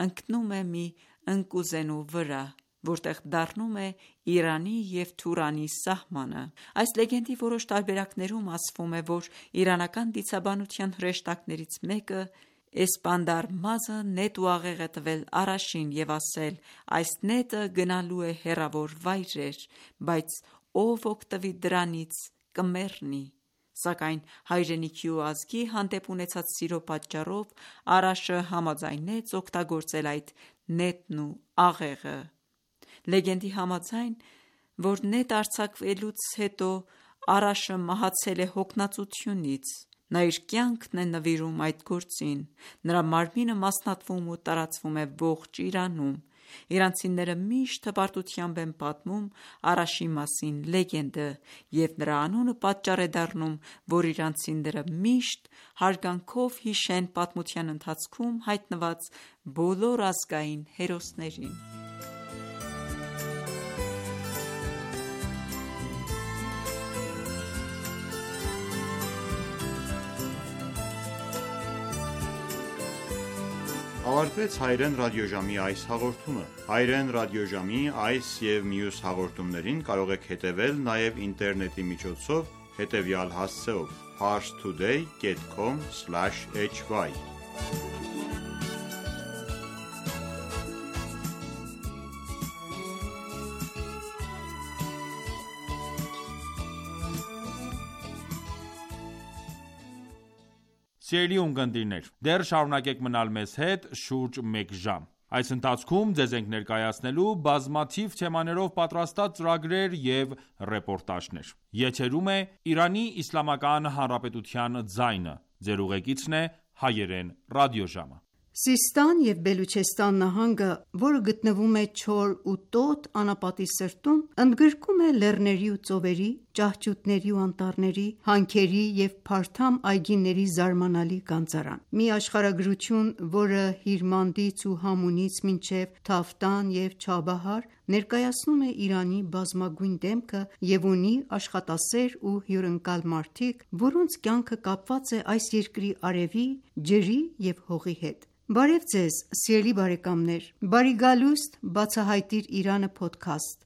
ընկնում է մի ընկուզենու վրա, որտեղ դառնում է Իրանի և Թուրանի սահմանը: Այս լեգենդի որոշ տարբերակներում ասվում է, որ իրանական դիցաբանության հրեշտակներից մեկը Էսպանդարմազը նետ ու աղեղ է տվել Արաշին և ասել. այս նետը գնալու է հեռավոր վայրեր, բայց ով օգտվի դրանից կմեռնի: Սակայն հայրենիքի ու ազգի հանդեպ ունեցած սիրո պատճառով Արաշը համաձայնեց օգտագործել այդ նետն ու աղեղը: Լեգենդի համաձայն, որ նետը արձակվելուց հետո Արաշը մահացել է հոգնածությունից: Նա իր կյանքն է նվիրում այդ գործին: Նրա մարմինը մասնատվում ու տարածվում է ողջ Իրանում: Իրանցիները միշտ հպարտությամբ են պատմում Արաշի մասին լեգենդը և նրա անունը պատճառ է դառնում, որ իրանցիները միշտ հարգանքով հիշեն պատմության ընթացքում հայտնված բոլոր ազգային հերոսներին: Ավարտվեց Հայրեն ռադիոժամի այս հաղորդումը: Հայրեն ռադիոժամի այս և մյուս հաղորդումներին կարող եք հետևել նաև ինտերնետի միջոցով հետևյալ հասցեով՝ parstoday.com/hy Սիրելի ունկնդիրներ, դեռ շարունակեք մնալ մեզ հետ շուրջ մեկ ժամ: Այս ընթացքում ձեզ ենք ներկայացնելու բազմաթիվ թեմաներով պատրաստած ծրագրեր և ռեպորտաժներ: Եթերում է «Իրանի Իսլամական Հանրապետության ձայնը»: Ձեր ուղեկիցն է Հայերեն ռադիոժամը: Սիստան և Բելուչեստան նահանգը, որը գտնվում է Չոր ու Տոտ անապատի սրտում, ընդգրկում է լեռների ու ծովերի, ճահճուտների ու անտառների, հանքերի և փարթամ այգիների զարմանալի գանձարան: Մի աշխարհագրություն, որը Հիրմանդից ու Համունից մինչև Թավտան և Չաբահար ներկայացնում է Իրանի բազմագույն դեմքը և ունի աշխատասեր ու հյուրընկալ մարդիկ, որոնց կյանքը կապված է այս երկրի արևի, ջրի և հողի հետ: Բարև Ձեզ սիրելի բարեկամներ: Բարի գալուստ «Բացահայտիր Իրանը» փոդքասթ,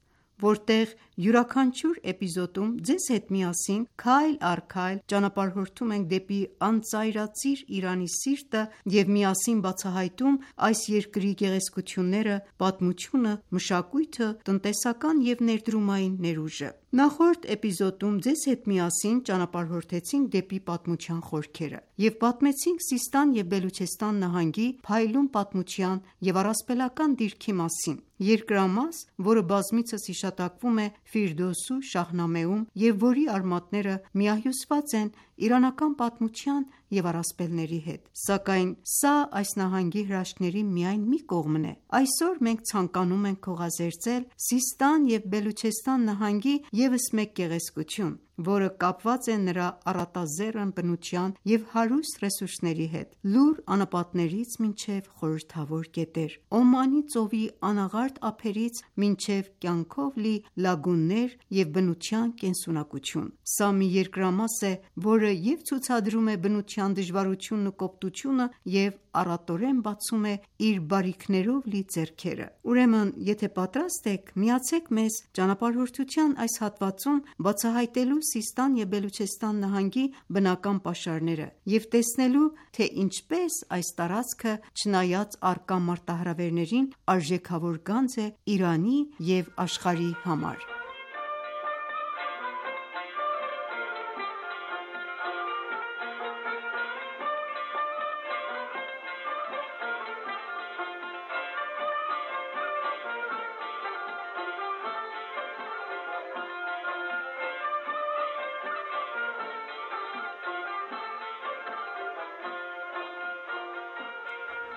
որտեղ յուրաքանչյուր էպիզոդում ձեզ հետ միասին քայլ առ քայլ ճանապարհորդում ենք դեպի անծայրածիր Իրանի սիրտը և միասին բացահայտում այս երկրի գեղեցկությունները, պատմությունը, մշակույթը, տնտեսական և ներդրումային ներուժը: Նախորդ էպիզոդում ձեզ հետ միասին ճանապարհորդեցինք դեպի պատմության խորքերը և պատմեցինք Սիստան և Բելուչեստան նահանգի փայլուն պատմության և առասպելական դիրքի մասին: Երկրամաս, որը բազմիցս հիշատակվում է Ֆիրդուսու Շահնամեում և որի արմատները միահյուսված են իրանական պատմության և առասպելների հետ: Սակայն սա այս նահանգի հրաշքների միայն մի կողմն է: Այսօր մենք ցանկանում ենք քողազերծել Սիստան և Բելուչեստան նահանգի ևս մեկ գեղեցկություն, որը կապված է նրա առատաձեռն բնության և հարուստ ռեսուրսների հետ՝ լուռ անապատներից մինչև խորհրդավոր գետեր, Օմանի ծովի անաղարտ ափերից մինչև կյանքով լի լագուններ և բնության կենսունակություն: Սա մի երկրամաս է, որը և ցուցադրում է բնության դժվարությունն ու կոպտությունը և առատորեն բացում է իր բարիքներով լի ձեռքերը: Ուրեմն եթե պատրաստ եք, միացեք մեզ ճանապարհորդության այս հատվածում բացահայտելու Սիստան և Բելուչեստան նահանգի բնական պաշարները և տեսնելու, թե ինչպես այս տարածքը, չնայած առկա մարտահրավերներին, արժեքավոր գանձ է Իրանի և աշխարհի համար: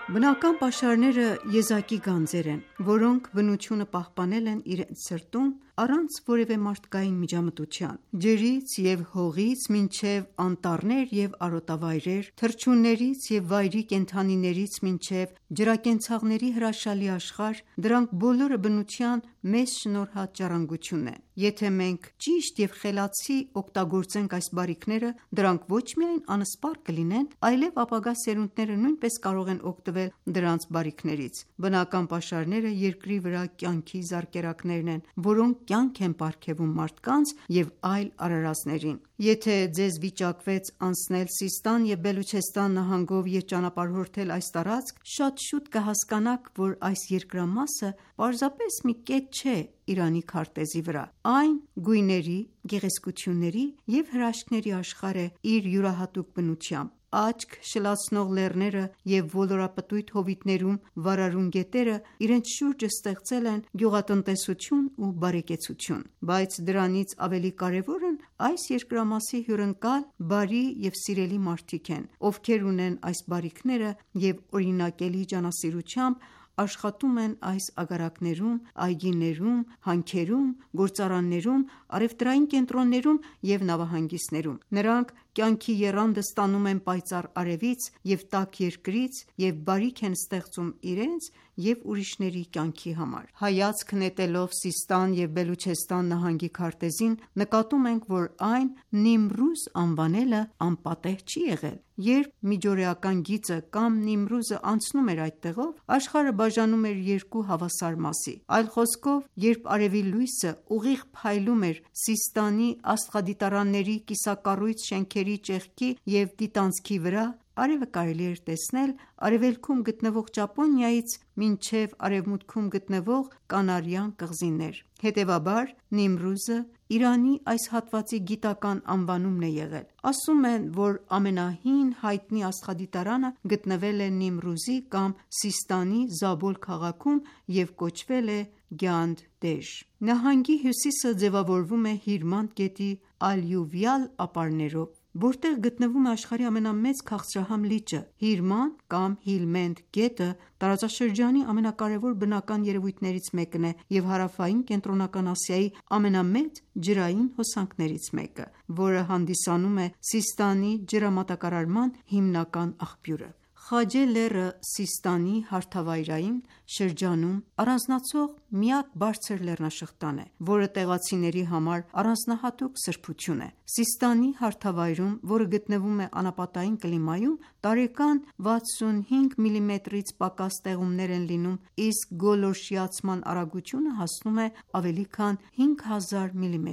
Բնական պաշարները եզակի գանձեր են, որոնք բնությունը պահպանել են իրենց սրտում առանց որևէ մարդկային միջամտության: Ջրից և հողից մինչև անտառներ և արոտավայրեր, թռչուններից և վայրի կենդանիներից մինչև ջրակենցաղների հրաշալի աշխարհ, դրանք բոլորը բնության մեզ շնորհած ժառանգությունն են: Եթե մենք ճիշտ և խելացի օգտագործենք այս բարիքները, դրանք ոչ միայն անսպառ կլինեն, այլև ապագա սերունդները նույնպես կարող են օգտվել դրանց բարիքներից: Բնական պաշարները երկրի վրա կյանքի զարկերակներն են, որոնք կյանք են պարգևում մարդկանց և այլ արարածներին: Եթե ձեզ վիճակվեց անցնել Սիստան և Բելուչեստան նահանգով և ճանապարհորդել այս տարածք, շատ շուտ կհասկանաք, որ այս երկրամասը պարզապես մի կետ չէ Իրանի քարտեզի վրա: Այն գույների, գեղեցկությունների և հրաշքների աշխարհ է իր յուրահատուկ բնությամբ: Աչք շլացնող լեռները և ոլորապտույտ հովիտներում վարարուն գետերը իրենց շուրջը ստեղծել են գյուղատնտեսություն ու բարեկեցություն: Բայց դրանից ավելի կարևորն այս երկրամասի հյուրընկալ, բարի և սիրելի մարդիկ են, ովքեր ունեն այս բարիքները և օրինակելի ջանասիրությամբ աշխատում են այս აგարակներում, այգիներում, հանքերում, գործարաններում, առևտրային կենտրոններում և նավահանգիստներում: Նրանք կյանքի եռանդը ստանում են պայծառ արևից և տաք երկրից և բարիք են ստեղծում իրենց և ուրիշների կյանքի համար: Հայացք նետելով Սիստան և Բելուչեստան նահանգի քարտեզին, նկատում ենք, որ այն Նիմռուզ անվանելը անպատեհ չի եղել: Երբ միջօրեական գիծը կամ Նիմռուզը անցնում էր այդտեղով, աշխարհը բաժանում էր երկու հավասար մասի: Այլ խոսքով, երբ արևի լույսը ուղիղ փայլում էր Սիստանի աստղադիտարանների կիսակառույց շենքերի ճեղքի և դիտանցքի վրա, արևը կարելի էր տեսնել արևելքում գտնվող Ճապոնիայից մինչև արևմուտքում գտնվող Կանարյան կղզիներ: Հետևաբար Նիմռուզը Իրանի այս հատվածի գիտական անվանումն է եղել: Ասում են, որ ամենահին հայտնի աստղադիտարանը գտնվել է Նիմռուզի կամ Սիստանի Զաբոլ քաղաքում և կոչվել է Գյանդեժ: Նահանգի հյուսիսը ձևավորվում է Հիրմանդ գետի ալյուվիալ ապարներով, որտեղ գտնվում է աշխարհի ամենամեծ քաղցրահամ լիճը: Հիրմանդ կամ Հիլմենդ գետը տարածաշրջանի ամենակարևոր բնական երևույթներից մեկն է և Հարավային Կենտրոնական Ասիայի ամենամեծ ջրային հոսանքներից մեկը, որը հանդիսանում է Սիստանի ջրամատակարարման հիմնական աղբյուրը: Խաջե լեռը Սիստանի հարթավայրային շրջանում առանձնացող միակ բարձր լեռնաշղթան է, որը տեղացիների համար առանձնահատուկ սրբություն է: Սիստանի հարթավայրում, որը գտնվում է անապատային կլիմայում, տարեկան 65 մմ-ից պակաս տեղումներ են լինում, իսկ գոլորշիացման արագությունը հասնում է ավելի քան 5000 մմ: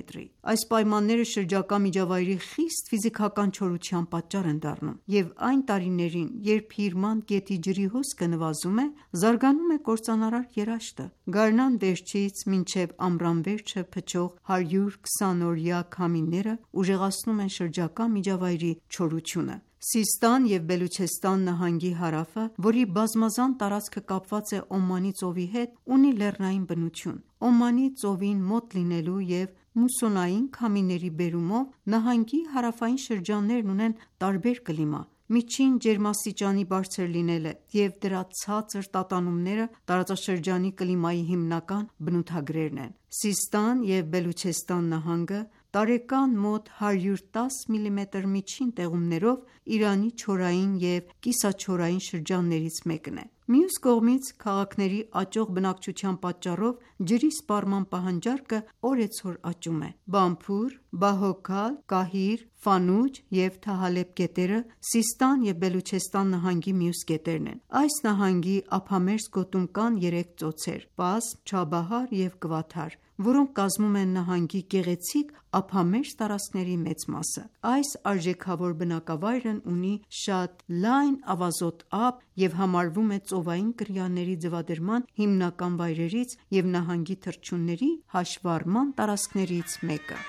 Այս պայմանները շրջակա միջավայրի խիստ ֆիզիկական չորության պատճառ են դառնում և այն տարիներին, երբ Հիրմանդ գետի ջրի հոսքը նվազում է, զարգանում է կործանարար երաշտը: Գարնան վերջից մինչև ամռան վերջը փչող 120-օրյա քամիները ուժեղացնում են շրջակա միջավայրի չորությունը: Սիստան և Բելուչեստան նահանգի հարավը, որի բազմազան տարածքը կապված է Օմանի ծովի հետ, ունի լեռնային բնություն: Օմանի ծովին մոտ լինելու և մուսոնային քամիների բերումով նահանգի հարավային շրջաններն ունեն տարբեր կլիմա: Միջին ջերմաստիճանի բարձր լինելը և դրա ցածր տատանումները տարածաշրջանի կլիմայի հիմնական բնութագրերն են: Սիստան և Բելուչեստան նահանգը տարեկան մոտ 110 մմ միջին տեղումներով Իրանի չորային և կիսաչորային շրջաններից մեկն է: Մյուս կողմից, քաղաքների աճող բնակչության պատճառով ջրի սպառման պահանջարկը օրեցօր աճում է: Բամփուր, Բահոքալ, Կահիր, Ֆանուջ և Թահալբ գետերը Սիստան և Բելուչեստան նահանգի մյուս գետերն են: Այս նահանգի ափամերձ գոտում կան 3 ծոցեր՝ Պասմ, Չաբահար և Կվաթար, որոնք կազմում են նահանգի գեղեցիկ ափամերձ տարածքների մեծ մասը: Այս արժեքավոր բնակավայրն ունի շատ լայն ավազոտ ափ և համարվում է ծովային կրիաների ձվադրման հիմնական վայրերից և նահանգի թռչունների հաշվառման տարածքներից մեկը: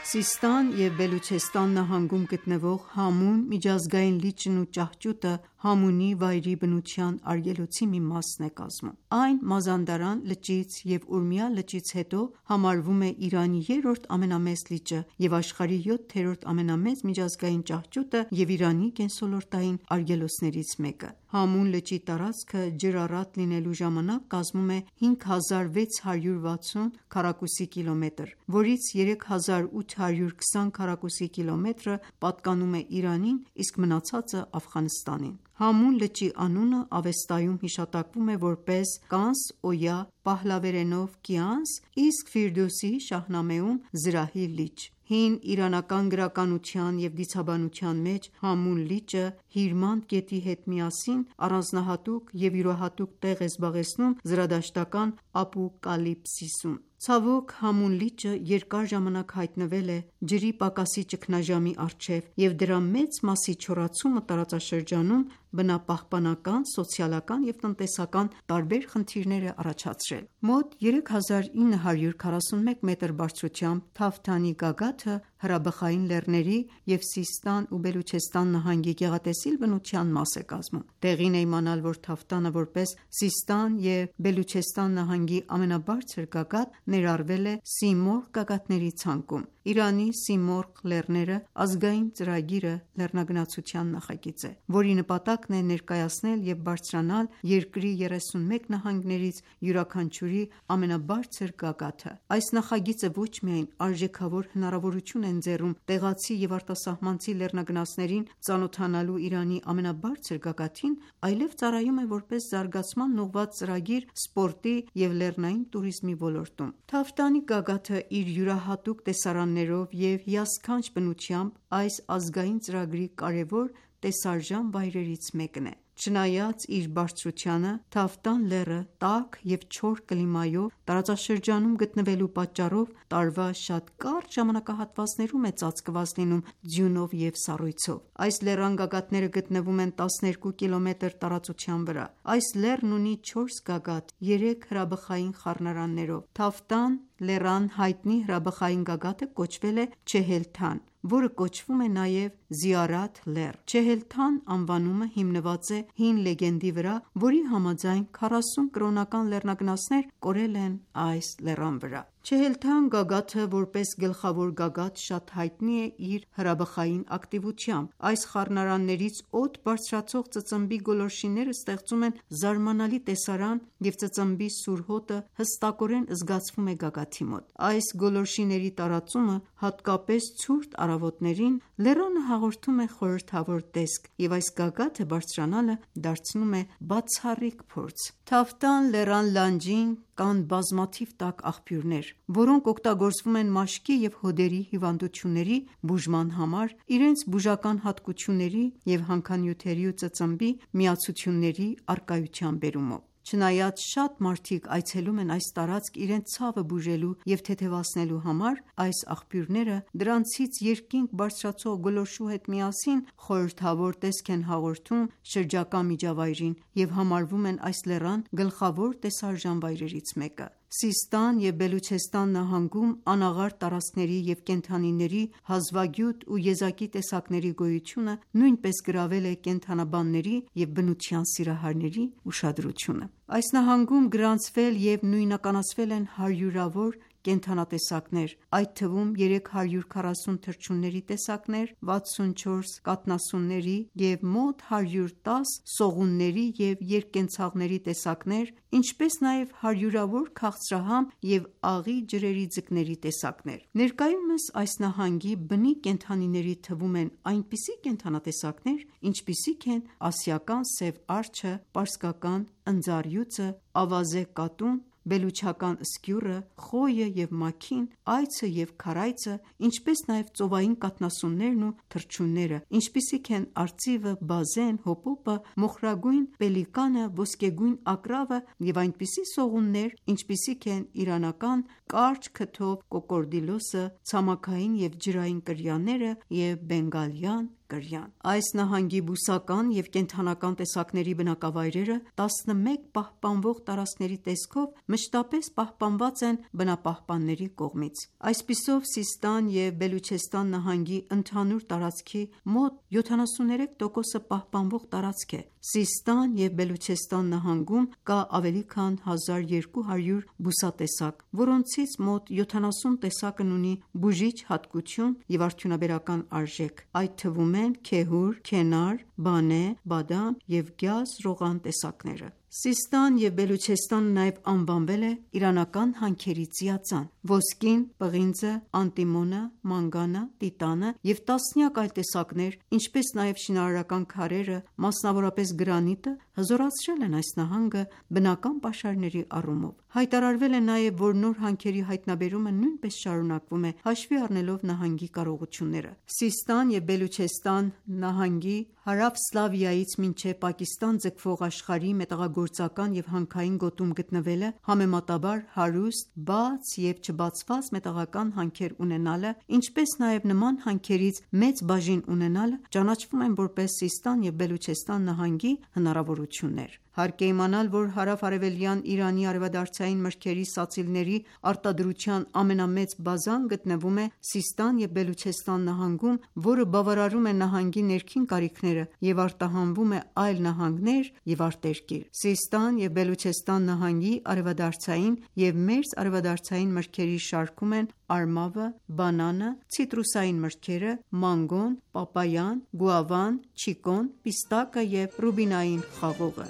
Սիստան և Բելուչեստան նահանգում գտնվող Համուն միջազգային լիճն ու ճահճուտը Համունի վայրի բնության արգելոցի մի մասն է կազմում։ Այն Մազանդարան լճից և Ուրմիա լճից հետո համարվում է Իրանի երրորդ ամենամեծ լիճը և աշխարհի 7-րդ ամենամեծ միջազգային ճահճուտը և Իրանի կենսոլորտային արգելոցներից մեկը։ Համուն լճի տարածքը ջրառատ լինելու ժամանակ կազմում է 5660 քառակուսի կիլոմետր, որից 3820 քառակուսի կիլոմետրը պատկանում է Իրանին, իսկ մնացածը Աֆղանստանին։ Համուն լճի անունը Ավեստայում հիշատակվում է որպես Կանս Օյա, պահլավերենով Կիանս, իսկ Ֆիրդուսի Շահնամեում զրահի լիճ։ Հին իրանական գրականության և դիցաբանության մեջ Համուն լիճը Հիրմանդ գետի հետ միասին առանձնահատուկ և յուրահատուկ տեղ է զբաղեցնում զրադաշտական ապոկալիպսիսում։ Ցավոք, Համուն լիճը երկար ժամանակ հայտնվել է ջրի պակասի ճգնաժամի առջև և դրա մեծ մասի չորացումը տարածաշրջանում բնապահպանական, սոցիալական և տնտեսական տարբեր խնդիրներ է առաջացրել։ Մոտ 3941 մետր բարձրությամբ Թավթանի գագաթը հրաբխային լեռների և Սիստան ու Բելուչեստան նահանգի գեղատեսիլ բնության մաս է կազմում։ Տեղին է իմանալ, որ Թավթանը որպես Սիստան և Բելուչեստան նահանգի ամենաբարձր գագաթ ներառվել է Սիմորղ գագաթների ցանկում։ Իրանի Սիմորղ լեռները ազգային ծրագիրը լեռնագնացության նախագիծ է, որի նպատակն է ներկայացնել և բարձրանալ երկրի 31 նահանգներից յուրաքանչյուրի ամենաբարձր գագաթը։ Այս նախագիծը ոչ միայն արժեքավոր հնարավորություն է ընձեռում տեղացի և արտասահմանցի լեռնագնացներին ծանոթանալու Իրանի ամենաբարձր գագաթին, այլև ծառայում է որպես զարգացման ուղղված ծրագիր սպորտի և լեռնային տուրիզմի ոլորտում։ Թավթանի գագաթը իր յուրահատուկ տեսարաններով և հիասքանչ բնությամբ այս ազգային ծրագրի կարևոր տեսարժան վայրերից մեկն է։ Չնայած իր բարձրությանը, Թավթան լեռը տաք և չոր կլիմայով տարածաշրջանում գտնվելու պատճառով տարվա շատ կարճ ժամանակահատվածներում է ծածկված լինում ձյունով և սառույցով։ Այս լեռան գագաթները գտնվում են 12 կիլոմետր տարածության վրա։ Այս լեռն ունի 4 գագաթ 3 հրաբխային խառնարաններով։ Թավթան լեռան հայտնի հրաբխային գագաթը կոչվել է Չեհելթան, որը կոչվում է նաև Զիարաթ լեռ։ Չեհելթան անվանումը հիմնված է հին լեգենդի վրա, որի համաձայն 40 կրոնական լեռնագնացներ կորել են այս լեռան վրա։ Չեհելթան գագաթը որպես գլխավոր գագաթ շատ հայտնի է իր հրաբխային ակտիվությամբ։ Այս խառնարաններից օդ բարձրացող ծծմբի գոլորշիները ստեղծում են զարմանալի տեսարան և ծծմբի սուր հոտը հստակորեն զգացվում է գագաթի մոտ։ Այս գոլորշիների տարածումը, հատկապես ցուրտ առավոտներին, լեռանը հաղորդում է խորհրդավոր տեսք, և այս գագաթը բարձրանալը դարձնում է բացառիկ փորձ։ Թավթան լեռան լանջին կան բազմաթիվ տաք աղբյուրներ, որոնք օգտագործվում են մաշկի և հոդերի հիվանդությունների բուժման համար, իրենց բուժական հատկությունների և հանքանյութերի ու ծծմբի միացությունների առկայության բերումով։ Չնայած շատ մարդիկ այցելում են այս տարածք իրենց ցավը բուժելու և թեթևացնելու համար, այս աղբյուրները դրանցից երկինք բարձրացող գոլորշու հետ միասին խորհրդավոր տեսք են հաղորդում շրջակա միջավայրին և համարվում են այս լեռան գլխավոր տեսարժան վայրերից մեկը։ Սիստան և Բելուչեստան նահանգում անաղարտ տարածքների և կենդանիների հազվագյուտ ու եզակի տեսակների գոյությունը նույնպես գրավել է կենդանաբանների և բնության սիրահարների ուշադրությունը։ Այս նահանգում գրանցվել և նույնականացվել են հարյուրավոր կենդանատեսակներ, այդ թվում 340 թռչունների տեսակներ, 64 կաթնասունների և մոտ 110 սողունների և երկկենցաղների տեսակներ, ինչպես նաև հարյուրավոր քաղցրահամ և աղի ջրերի ձկների տեսակներ։ Ներկայումս այս նահանգի բնիկ կենդանիների թվում են այնպիսի կենդանատեսակներ, ինչպիսիք են ասիական սև արջը, պարսկական ընձառյուծը, ավազե կատուն, բելուչական սկյուռը, խոյը և մաքին, այծը և քարայծը, ինչպես նաև ծովային կաթնասուններն ու թռչունները, ինչպիսիք են արծիվը, բազեն, հոպոպը, մոխրագույն պելիկանը, ոսկեգույն ակռավը և այնպիսի սողուններ, ինչպիսիք են իրանական կարճ քթով կոկորդիլոսը, ցամաքային և ջրային կրյաները և բենգալյան կրյան։ Այս նահանգի բուսական եւ կենդանական տեսակների բնակավայրերը 11 պահպանվող տարածքների տեսքով մշտապես պահպանված են բնապահպանների կողմից։ Այսպիսով Սիստան եւ Բելուչեստան նահանգի ընդհանուր տարածքի մոտ 73%-ը պահպանվող տարածք է։ Սիստան եւ Բելուչեստան նահանգում կա ավելի քան 1200 բուսատեսակ, որոնցից մոտ 70 տեսակն ունի բուժիչ հատկություն եւ արդյունաբերական արժեք։ Այդ թվում են քեհուր, քենար, բանե, բադամ եւ գյազ ռողան տեսակները։ Սիստան եւ Բելուչեստանը նաեւ անվանվել է իրանական հանքերի ծիածան։ Ոսկին, պղինձը, անտիմոնը, մանգանը, տիտանը եւ տասնյակ այլ տեսակներ, ինչպես նաեւ շինարարական քարերը, մասնավորապես գրանիտը, հզորացրել են այս նահանգը բնական պաշարների առումով։ Հայտարարվել է նաեւ, որ նոր հանքերի հայտնաբերումը նույնպես շարունակվում է, հաշվի առնելով նահանգի կարողությունները։ Սիստան եւ Բելուչեստան նահանգի հարավ Սլավիայից մինչև Պակիստան ձգվող աշխարհի մետաղագործական եւ հանքային գոտում գտնվելը, համեմատաբար հարուստ, բաց եւ չբացված մետաղական հանքեր ունենալը, ինչպես նաեւ նման հանքերից մեծ բաժին ունենալը ճանաչվում են որպես Սիստան եւ Բելուչեստան նահանգի հնարավորություններ։ Հարկ է իմանալ, որ հարավ-արևելյան Իրանի արևադարձային մրգերի սացիլների արտադրության ամենամեծ բազան գտնվում է Սիստան եւ Բելուչեստան նահանգում, որը բավարարում է նահանգի ներքին կարիքները եւ արտահանվում է այլ նահանգներ եւ արտերկիր։ Սիստան եւ Բելուչեստան նահանգի արևադարձային եւ մերձ արևադարձային մրգերի շարքում են արմավը, բանանը, ցիտրուսային մրգերը, մանգոն, պապայան, գուավան, չիկոն, պիստակը եւ ռուբինային խաղողը։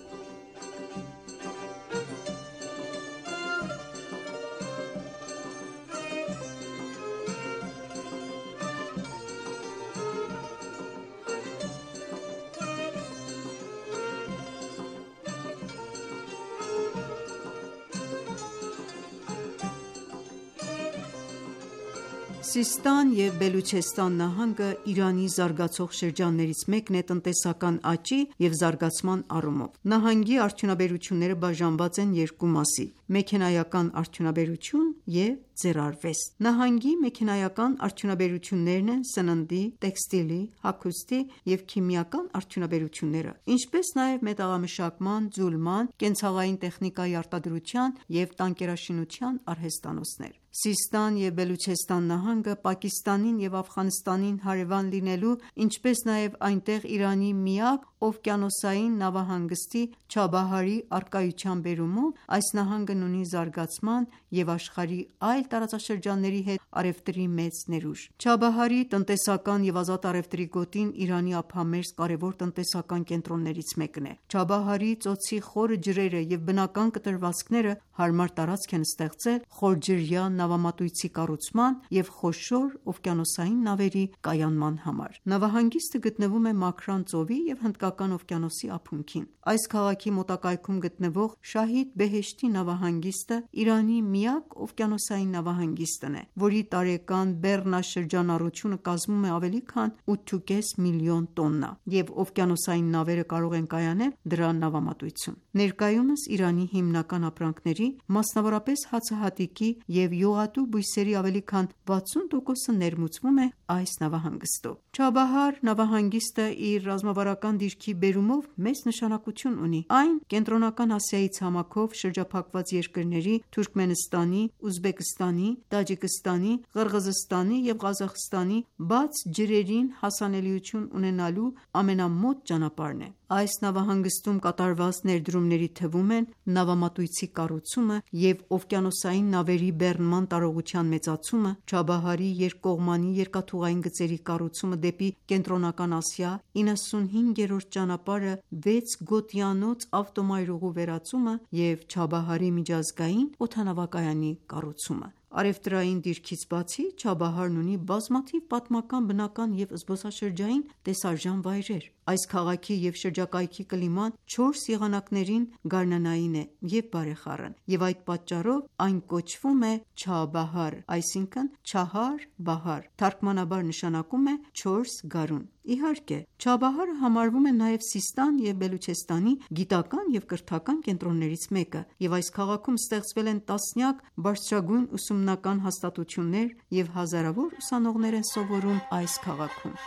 Սիստան եւ Բելուչեստան նահանգը Իրանի զարգացող շրջաններից մեկն է տնտեսական աճի եւ զարգացման առումով։ Նահանգի արդյունաբերությունները բաժանված են երկու մասի՝ մեքենայական արդյունաբերություն եւ ձեռարվեստ։ Նահանգի մեքենայական արդյունաբերություններն են սննդի, տեքստիլի, հագուստի եւ քիմիական արդյունաբերությունները, ինչպես նաեւ մետաղամշակման, ձուլման, կենցաղային տեխնիկայի արտադրության եւ տանկերաշինության արհեստանոցներ։ Սիստան եւ Բելուչեստան նահանգը Պակիստանին եւ Աֆղանստանին հարևան լինելու, ինչպես նաեւ այնտեղ Իրանի միակ օվկիանոսային նավահանգստի Չաբահարի առկայության բերումով այս նահանգն ունի զարգացման եւ աշխարհի այլ տարածաշրջանների հետ առևտրի մեծ ներուժ։ Չաբահարի տնտեսական եւ ազատ առևտրի գոտին Իրանի ափամերձ կարևոր տնտեսական կենտրոններից մեկն է։ Չաբահարի ծոցի խորը ջրերը եւ բնական կտրվածքները հարմար տարածք են ստեղծել խորջրյա նավամատույցի կառուցման եւ խոշոր օվկիանոսային նավերի կայանման համար։ Նավահանգիստը գտնվում է Մաքրան ծովի եւ Հնդկական օվկիանոսի ափունքին։ Այս քաղաքի մոտակայքում գտնվող Շահիդ Բեհեշթի նավահանգիստը Իրանի միակ օվկիանոսային նավահանգիստն է, որի տարեկան բեռնաշրջանառությունը կազմում է ավելի քան 8.5 միլիոն տոննա, եւ օվկիանոսային նավերը կարող են կայանել դրա նավամատույցում։ Ներկայումս Իրանի հիմնական ապրանքների, մասնավորապես հացահատիկի եւ յուղատու բույսերի ավելի քան 60%-ը ներմուծվում է այս նավահանգստով։ Չաբահար նավահանգիստը իր ռազմավարական դիրքի բերումով մեծ նշանակություն ունի։ Այն Կենտրոնական Ասիայի ցամաքով շրջափակված երկրների Թուրքմենստանի, Ուզբեկստանի, Տաջիկստանի, Ղրղզստանի եւ Ղազախստանի բաց ջրերին հասանելիություն ունենալու ամենամոտ ճանապարհն է։ Այս նավահանգստում կատարված ներդրումների թվում են նավամատույցի կառուցումը եւ օվկիանոսային նավերի բեռնման տարողության մեծացումը, Չաբահարի երկկողմանի երկաթուղային գծերի կառուցումը դեպի Կենտրոնական Ասիա, 95-րդ ճանապարհը 6 գոտիանոց ավտոմայրուղու վերածումը եւ Չաբահարի միջազգային օդանավակայանի կառուցումը։ Առևտրային դիրքից բացի Չաբահարն ունի բազմաթիվ պատմական, բնական եւ զբոսաշրջային տեսարժան վայրեր։ Այս քաղաքի եւ շրջակայքի կլիման 4 եղանակներին գարնանային է եւ բարեխառն, եւ այդ պատճառով այն կոչվում է Չաբահար, այսինքն Չահար Բահար, թարգմանաբար նշանակում է 4 գարուն։ Իհարկե, Չաբահարը համարվում է նաև Սիստան եւ Բելուչեստանի գիտական եւ կրթական կենտրոններից մեկը, եւ այս քաղաքում ստեղծվել են տասնյակ բարձրագույն ուսումնական հաստատություններ եւ հազարավոր ուսանողներ են սովորում այս քաղաքում։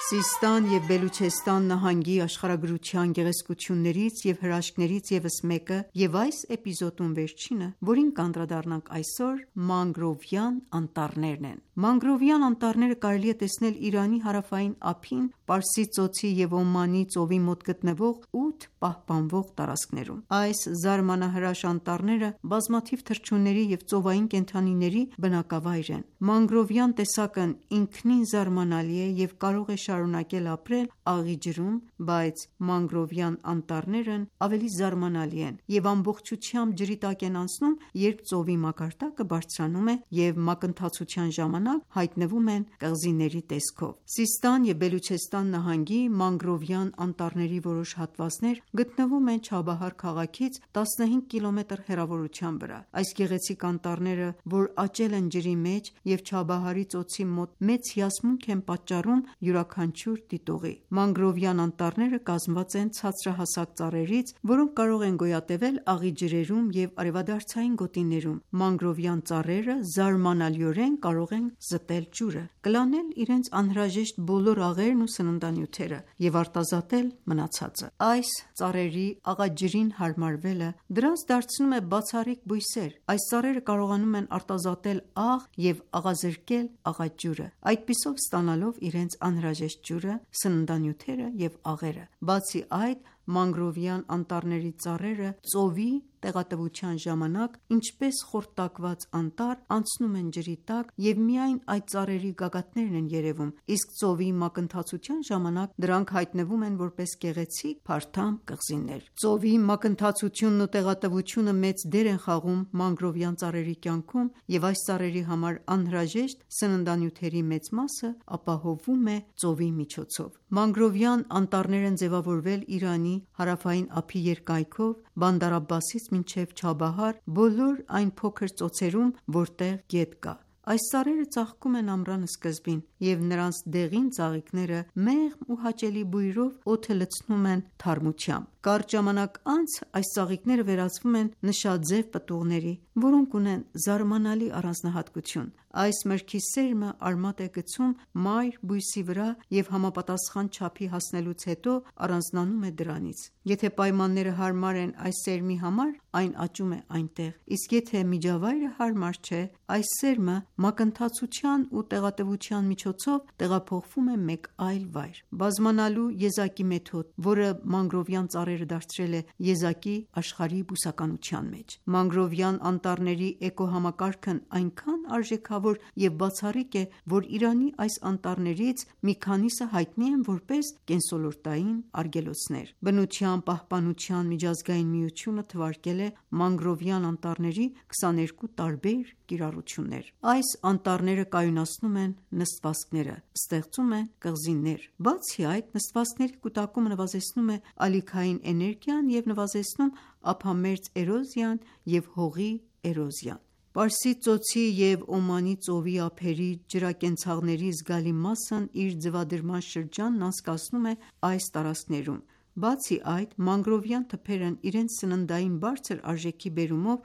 Սիստան և Բելուչեստան նահանգի աշխարհագրության գեղեցկություններից և հրաշքներից ևս մեկը և այս էպիզոդում վերջինը, որին կանդրադառնանք այսօր, մանգրովյան անտառներն են: Մանգրովյան անտառները կարելի է տեսնել Իրանի հարավային ափին, Պարսից ծոցի և Օմանի ծովի մոտ գտնվող 8 պահպանվող տարածքներում: Այս զարմանահրաշ անտառները բազմաթիվ թռչունների և ծովային կենդանիների բնակավայր են: Մանգրովյան տեսակն ինքնին զարմանալի է և կարող է շարունակել ապրել աղի ջրում, բայց մանգրովյան անտառներն ավելի զարմանալի են և ամբողջությամբ ջրի տակ են անցնում, երբ ծովի մակարդակը բարձրանում է և մակընթացության ժամանակ հայտնվում են կղզիների տեսքով: Սիստան և Բելուչեստան նահանգի մանգրովյան անտառների որոշ հատվածներ գտնվում են Չաբահար քաղաքից 15 կմ հեռավորության վրա: Այս գեղեցիկ անտառները, որ աճել են ջրի մեջ և Չաբահարի ծոցի մոտ մեծ հիասմունք են պատճառում յուրաքանչյուր դիտողի: Մանգրովյան անտառները կազմված են ցածրահասակ ծառերից, որոնք կարող են գոյատևել աղի ջրերում և արևադարձային գոտիներում: Մանգրովյան ծառերը զարմանալիորեն կարող են զտել ջուրը, կլանել իրենց անհրաժեշտ բոլոր աղերն ու սննդանյութերը և արտազատել մնացածը: Այս ծառերի աղաջրին հարմարվելը դրանց դարձնում է բացառիկ բույսեր: Այս ծառերը կարողանում են արտազատել աղ և աղազրկել աղաջուրը, այդպիսով ստանալով իրենց անհրաժեշտ ջուրը, սննդանյութերը և աղերը: Բացի այդ, մանգրովյան անտառների ծառերը ծովի տեղատվության ժամանակ, ինչպես խորտակված անտառ, անցնում են ջրի տակ և միայն այդ ծառերի գագաթներն են երևում, իսկ ծովի մակընթացության ժամանակ դրանք հայտնվում են որպես գեղեցիկ փարթամ կղզիներ: Ծովի մակընթացությունն ու տեղատվությունը մեծ դեր են խաղում մանգրովյան ծառերի կյանքում և այս ծառերի համար անհրաժեշտ սննդանյութերի մեծ մասը ապահովվում է ծովի միջոցով: Մանգրովյան անտառներ են ձևավորվել Իրանի հարավային ափի երկայնքով Բանդար Աբբասից մինչև Չաբահար բոլոր այն փոքր ծոցերում, որտեղ գետ կա: Այս ծառերը ծաղկում են ամռան սկզբին և նրանց դեղին ծաղիկները մեղմ ու հաճելի բույրով օդը լցնում են թարմությամբ: Կարճ ժամանակ անց այս ծաղիկները վերածվում են նշաձև պտուղների, որոնք ունեն զարմանալի առանձնահատկություն: Այս մրգի սերմը արմատ է գցում մայր բույսի վրա և համապատասխան չափի հասնելուց հետո առանձնանում է դրանից: Եթե պայմանները հարմար են այս սերմի համար, այն աճում է այնտեղ, իսկ եթե միջավայրը հարմար չէ, այս սերմը մակընթացության ու տեղատվության միջոցով տեղափոխվում է մեկ այլ վայր: Բազմանալու եզակի մեթոդ, որը մանգրովյան ծառերը դարձրել է եզակի աշխարհի բուսականության մեջ: Մանգրովյան անտառների էկոհամակարգն այնքան արժեքավոր և բացառիկ է, որ Իրանի այս անտառներից մի քանիսը հայտնի են որպես կենսոլորտային արգելոցներ: Բնության պահպանության միջազգային միությունը թվարկել է մանգրովյան անտառների 22 տարբեր կիրառություններ: Այս անտառները կայունացնում են նստվածքները, ստեղծում են կղզիներ: Բացի այդ, նստվածքների կուտակումը նվազեցնում է ալիքային էներգիան և նվազեցնում ափամերձ էրոզիան և հողի էրոզիան: Պարսից ծոցի և Օմանի ծովի ափերի ջրակենցաղների զգալի մասն իր ձվադրման շրջանն անցկացնում է այս տարածքներում: Բացի այդ, մանգրովյան թփերն իրենց սննդային բարձր արժեքի բերումով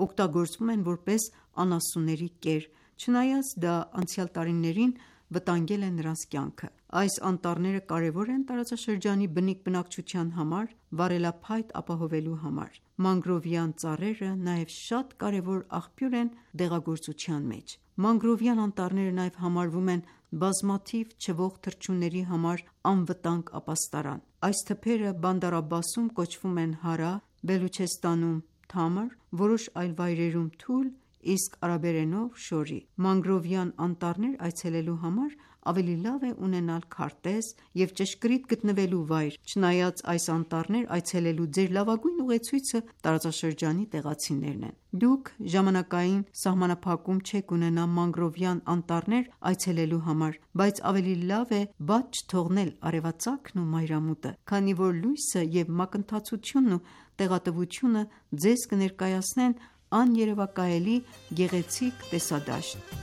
օգտագործվում են որպես անասունների կեր, չնայած դա անցյալ տարիներին վտանգել է նրանց կյանքը: Այս անտառները կարևոր են տարածաշրջանի բնիկ բնակչության համար, վառելափայտ ապահովելու համար: Մանգրովյան ծառերը նաև շատ կարևոր աղբյուր են դեղագործության մեջ: Մանգրովյան անտառները նաև համարվում են բազմաթիվ չվող թռչունների համար անվտանգ ապաստարան: Այս թփերը Բանդար Աբբասում կոչվում են Հարա, Բելուչեստանում Թամր, որոշ այլ վայրերում Թուլ, իսկ արաբերենով Շորի: Մանգրովյան անտառներ այցելելու համար ավելի լավ է ունենալ քարտեզ և ճշգրիտ գտնվելու վայր: Չնայած այս անտառներ այցելելու ձեր լավագույն ուղեցույցը տարածաշրջանի տեղացիներն են: Դուք ժամանակային սահմանափակում չեք ունենա մանգրովյան անտառներ այցելելու համար, բայց ավելի լավ է բաց չթողնել արևածագն ու մայրամուտը, քանի որ լույսը և մակընթացությունն ու տեղատվությունը ձեզ կներկայացնեն աներևակայելի գեղեցիկ տեսադաշտ: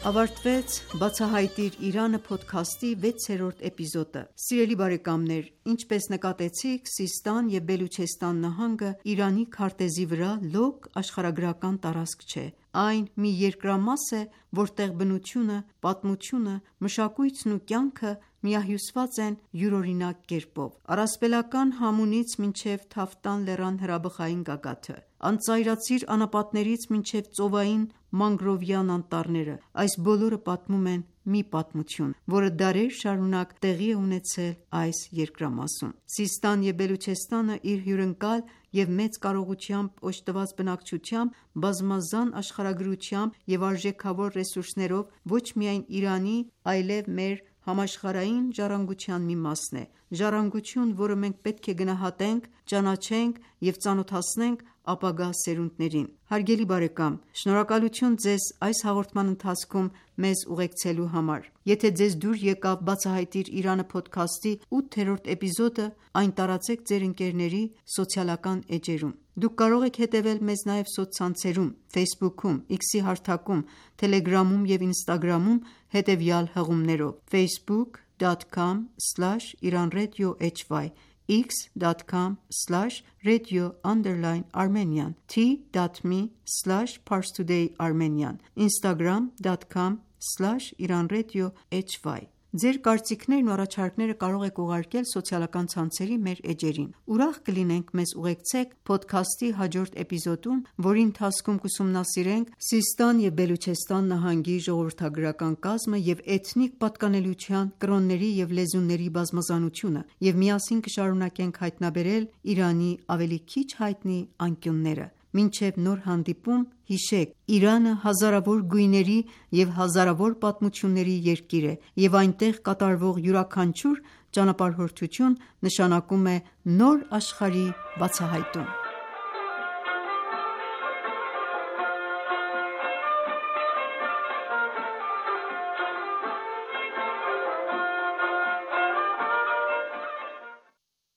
ավարտվեց «Բացահայտիր Իրանը» փոդքասթի 6-րդ էպիզոդը։ Սիրելի բարեկամներ, ինչպես նկատեցիք, Սիստան և Բելուչեստան նահանգը Իրանի քարտեզի վրա լոկ աշխարհագրական տարածք չէ։ Այն մի երկրամաս է, որտեղ բնությունը, պատմությունը, մշակույթն ու կյանքը միահյուսված են յուրօրինակ կերպով։ Առասպելական Համունից մինչև Թավտան լեռան հրաբխային գագաթը, անծայրածիր անապատներից մինչև ծովային մանգրովյան անտառները, այս բոլորը պատմում են մի պատմություն, որը դարեր շարունակ տեղի է ունեցել այս երկրամասում։ Սիստան և Բելուչեստանը իր հյուրընկալ և մեծ կարողությամբ օժտված բնակչությամբ, բազմազան աշխարհագրությամբ և արժեքավոր ռեսուրսներով ոչ միայն Իրանի, այլև մեր համաշխարհային ժառանգության մի մասն է։ Ժառանգություն, որը մենք պետք է գնահատենք, ճանաչենք և ծանոթացնենք ապագա սերունդներին։ Հարգելի բարեկամ, շնորհակալություն ձեզ այս հաղորդման ընթացքում մեզ ուղեկցելու համար։ Եթե ձեզ դուր եկավ «Բացահայտիր Իրանը» փոդքասթի 8-րդ էպիզոդը, այն տարածեք ձեր ընկերների սոցիալական էջերում։ Դուք կարող եք հետևել մեզ նաև սոցցանցերում Facebook-ում, X-ի հարթակում, Telegram-ում և Instagram-ում հետևյալ հղումներով՝ facebook.com/iranradiohy, x.com/radio_Armenian, t.me/parstoday_armenian, instagram.com/iranradiohy։ Ձեր կարծիքներն ու առաջարկները կարող եք ուղարկել սոցիալական ցանցերի մեր էջերին։ Ուրախ կլինենք մեզ ուղեկցեք փոդքասթի հաջորդ էպիզոդում, որի ընթացքում կուսումնասիրենք Սիստան և Բելուչեստան նահանգի ժողովրդագրական կազմը և էթնիկ պատկանելության, կրոնների և լեզուների բազմազանությունը, և միասին կշարունակենք հայտնաբերել Իրանի ավելի քիչ հայտնի անկյունները։ Մինչև նոր հանդիպում, հիշեք, Իրանը հազարավոր գույների և հազարավոր պատմությունների երկիր է, և այնտեղ կատարվող յուրաքանչյուր ճանապարհորդություն նշանակում է նոր աշխարհի բացահայտում։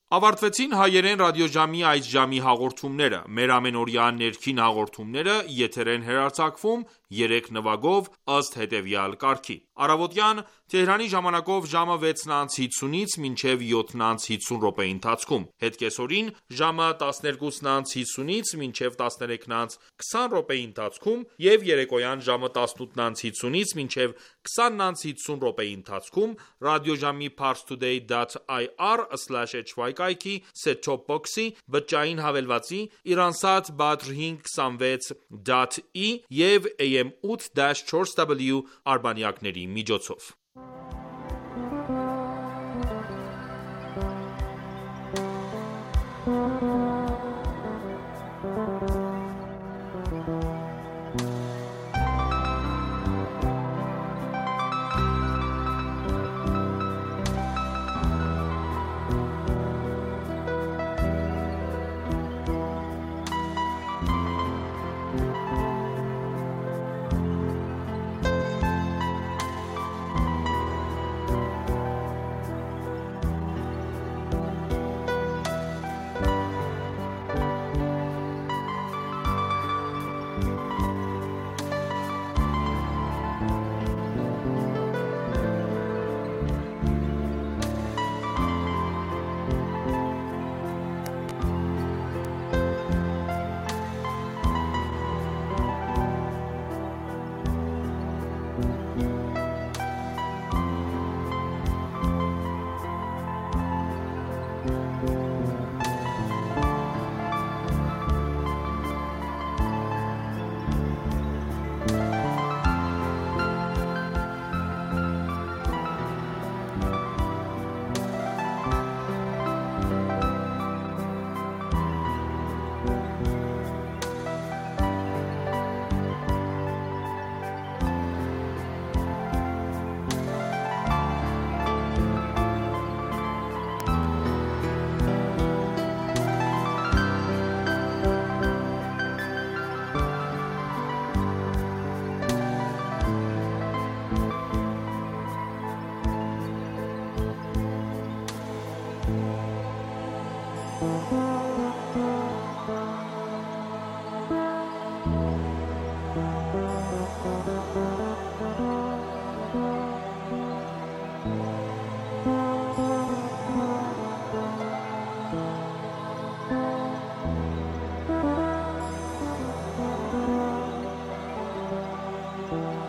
Ավարտվեցին հայերեն ռադիոժամի այս ժամի հաղորդումները։ Մեր ամենօրյա ներքին հաղորդումները եթեր են հեռարձակվում 3 նվագով ըստ հետևյալ կարգի. Առավոտյան Թեհրանի ժամանակով ժամը 6:50-ից մինչև 7:50 րոպեի ընթացքում, հետկեսօրին ժամը 12:50-ից մինչև 13:20 րոպեի ընթացքում և երեկոյան ժամը 18:50-ից մինչև 20:50 րոպեի ընթացքում ռադիոժամի parstoday.ir/hy կայքի set-top box-ի, բջջային հավելվածի, Iransat Badr 526.E և AM 8-4W արբանյակների միջոցով։